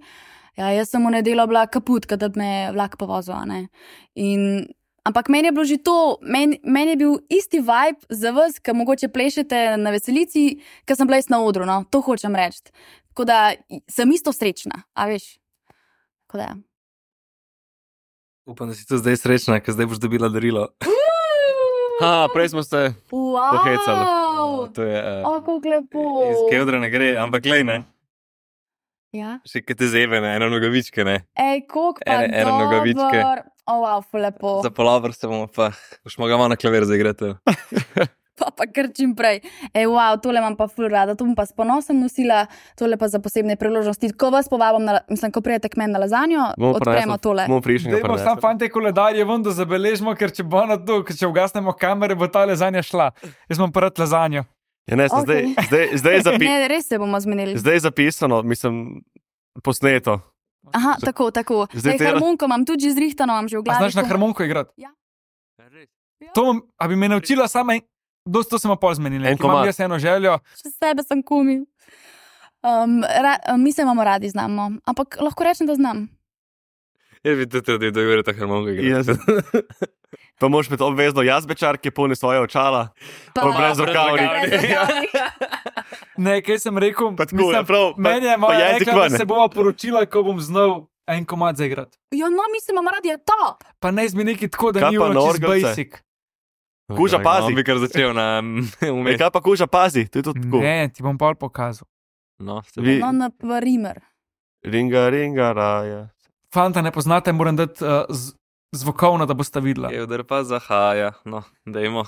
Ja, jaz sem v nedeljo bila kaput, kadar me je vlak povozil, a ne. In, ampak meni je bilo že to, meni, meni je bil isti vibe za vas, ki mogoče plešete na veselici, ker sem bila jaz na odru, no, to hočem reči. Tako da sem isto srečna, a veš. Tako da. Upam, da si tu zdaj srečna, ker zdaj boš dobila darilo. Ha, prej smo se Wow! pohecali. To je uh, O, kako lepo. iz Kevdra ne gre, ampak glej, ne. Ja. Še kaj te zebe, ne, eno nogavičke, ne. Ej, koliko pa Ene- ene dober. nogavičke. O, wow, ful lepo. Za polavr se bomo pa, boš mogla malo na klavir zaigrati. Pa pa kar čim prej. Ej, wow, tole imam pa ful rada, to bom pa s ponosom nosila, tole pa za posebne priložnosti. Ko vas povabim, na, mislim, ko prijete k meni na lazanjo, odpremo tole. Bomo prišli Dajmo sam fante koledarje ven, da zabeležimo, ker če bo na to, ker če ugasnemo kamere, bo ta lezanja šla. Jaz imam prvi lazanjo. Ja, ne, sem Ok. zdaj, zdaj, zdaj, je zapi, Ne, res se bomo zmenili. zdaj je zapisano, mislim, posneto. Aha, tako, tako. Zdaj Zdaj, te- harmonko imam tudi že zrihtano, imam že v A glavi. znaš na ko- harmoniko igrati? Ja. To, bom- a bi me naučila sama, en- dosti to smo pol zmenili. En ker Imam komad. jaz eno željo. Še sebe sem kumi. Um, ra, mi se imamo radi, znamo. Ampak lahko rečem, da znam. Jaz bi tudi tudi dogovoril ta harmoniko Jaz. igrati. Pa moraš imeti obvezno jazbečar, ki polni svoje očala. Pa- Pa brez brez rokavnic. rokavnic. Ne, kaj sem rekel? Pa tako, ja, prav, pa- meni je pa moja jezik rekla, ven. da se bova poročila, ko bom znal en komad zaigrati. Ja, no, mi se imamo radi, je to. Pa ne zmi neki tako, da Kaj ni pa ono na čist orgelce? basic. Kuža, pazi. On bi kar začel na Ej, umet. kaj pa kuža, pazi, to je tudi tako. Ne, ti bom pol pokazal. No, se Vi- No, na primer. Ringa, ringa, raja. Fanta ne poznate, moram dati uh, z, zvokovno, da boste videla. Kevdr pa zahaja, no, dajmo.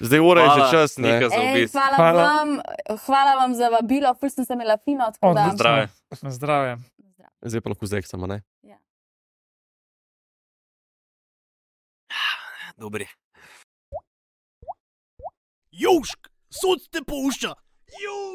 Zdaj ura je že Hvala, čas, ne? Nika, za Ej, obisk. hvala, Hvala. vam, hvala vam za vabilo, ful sem se imela fino, tako da. Odlično. Zdrave. Na zdravje. Zdaj pa lahko zeksamo, ne? Dobri. Južk, sod te pušča. Južk.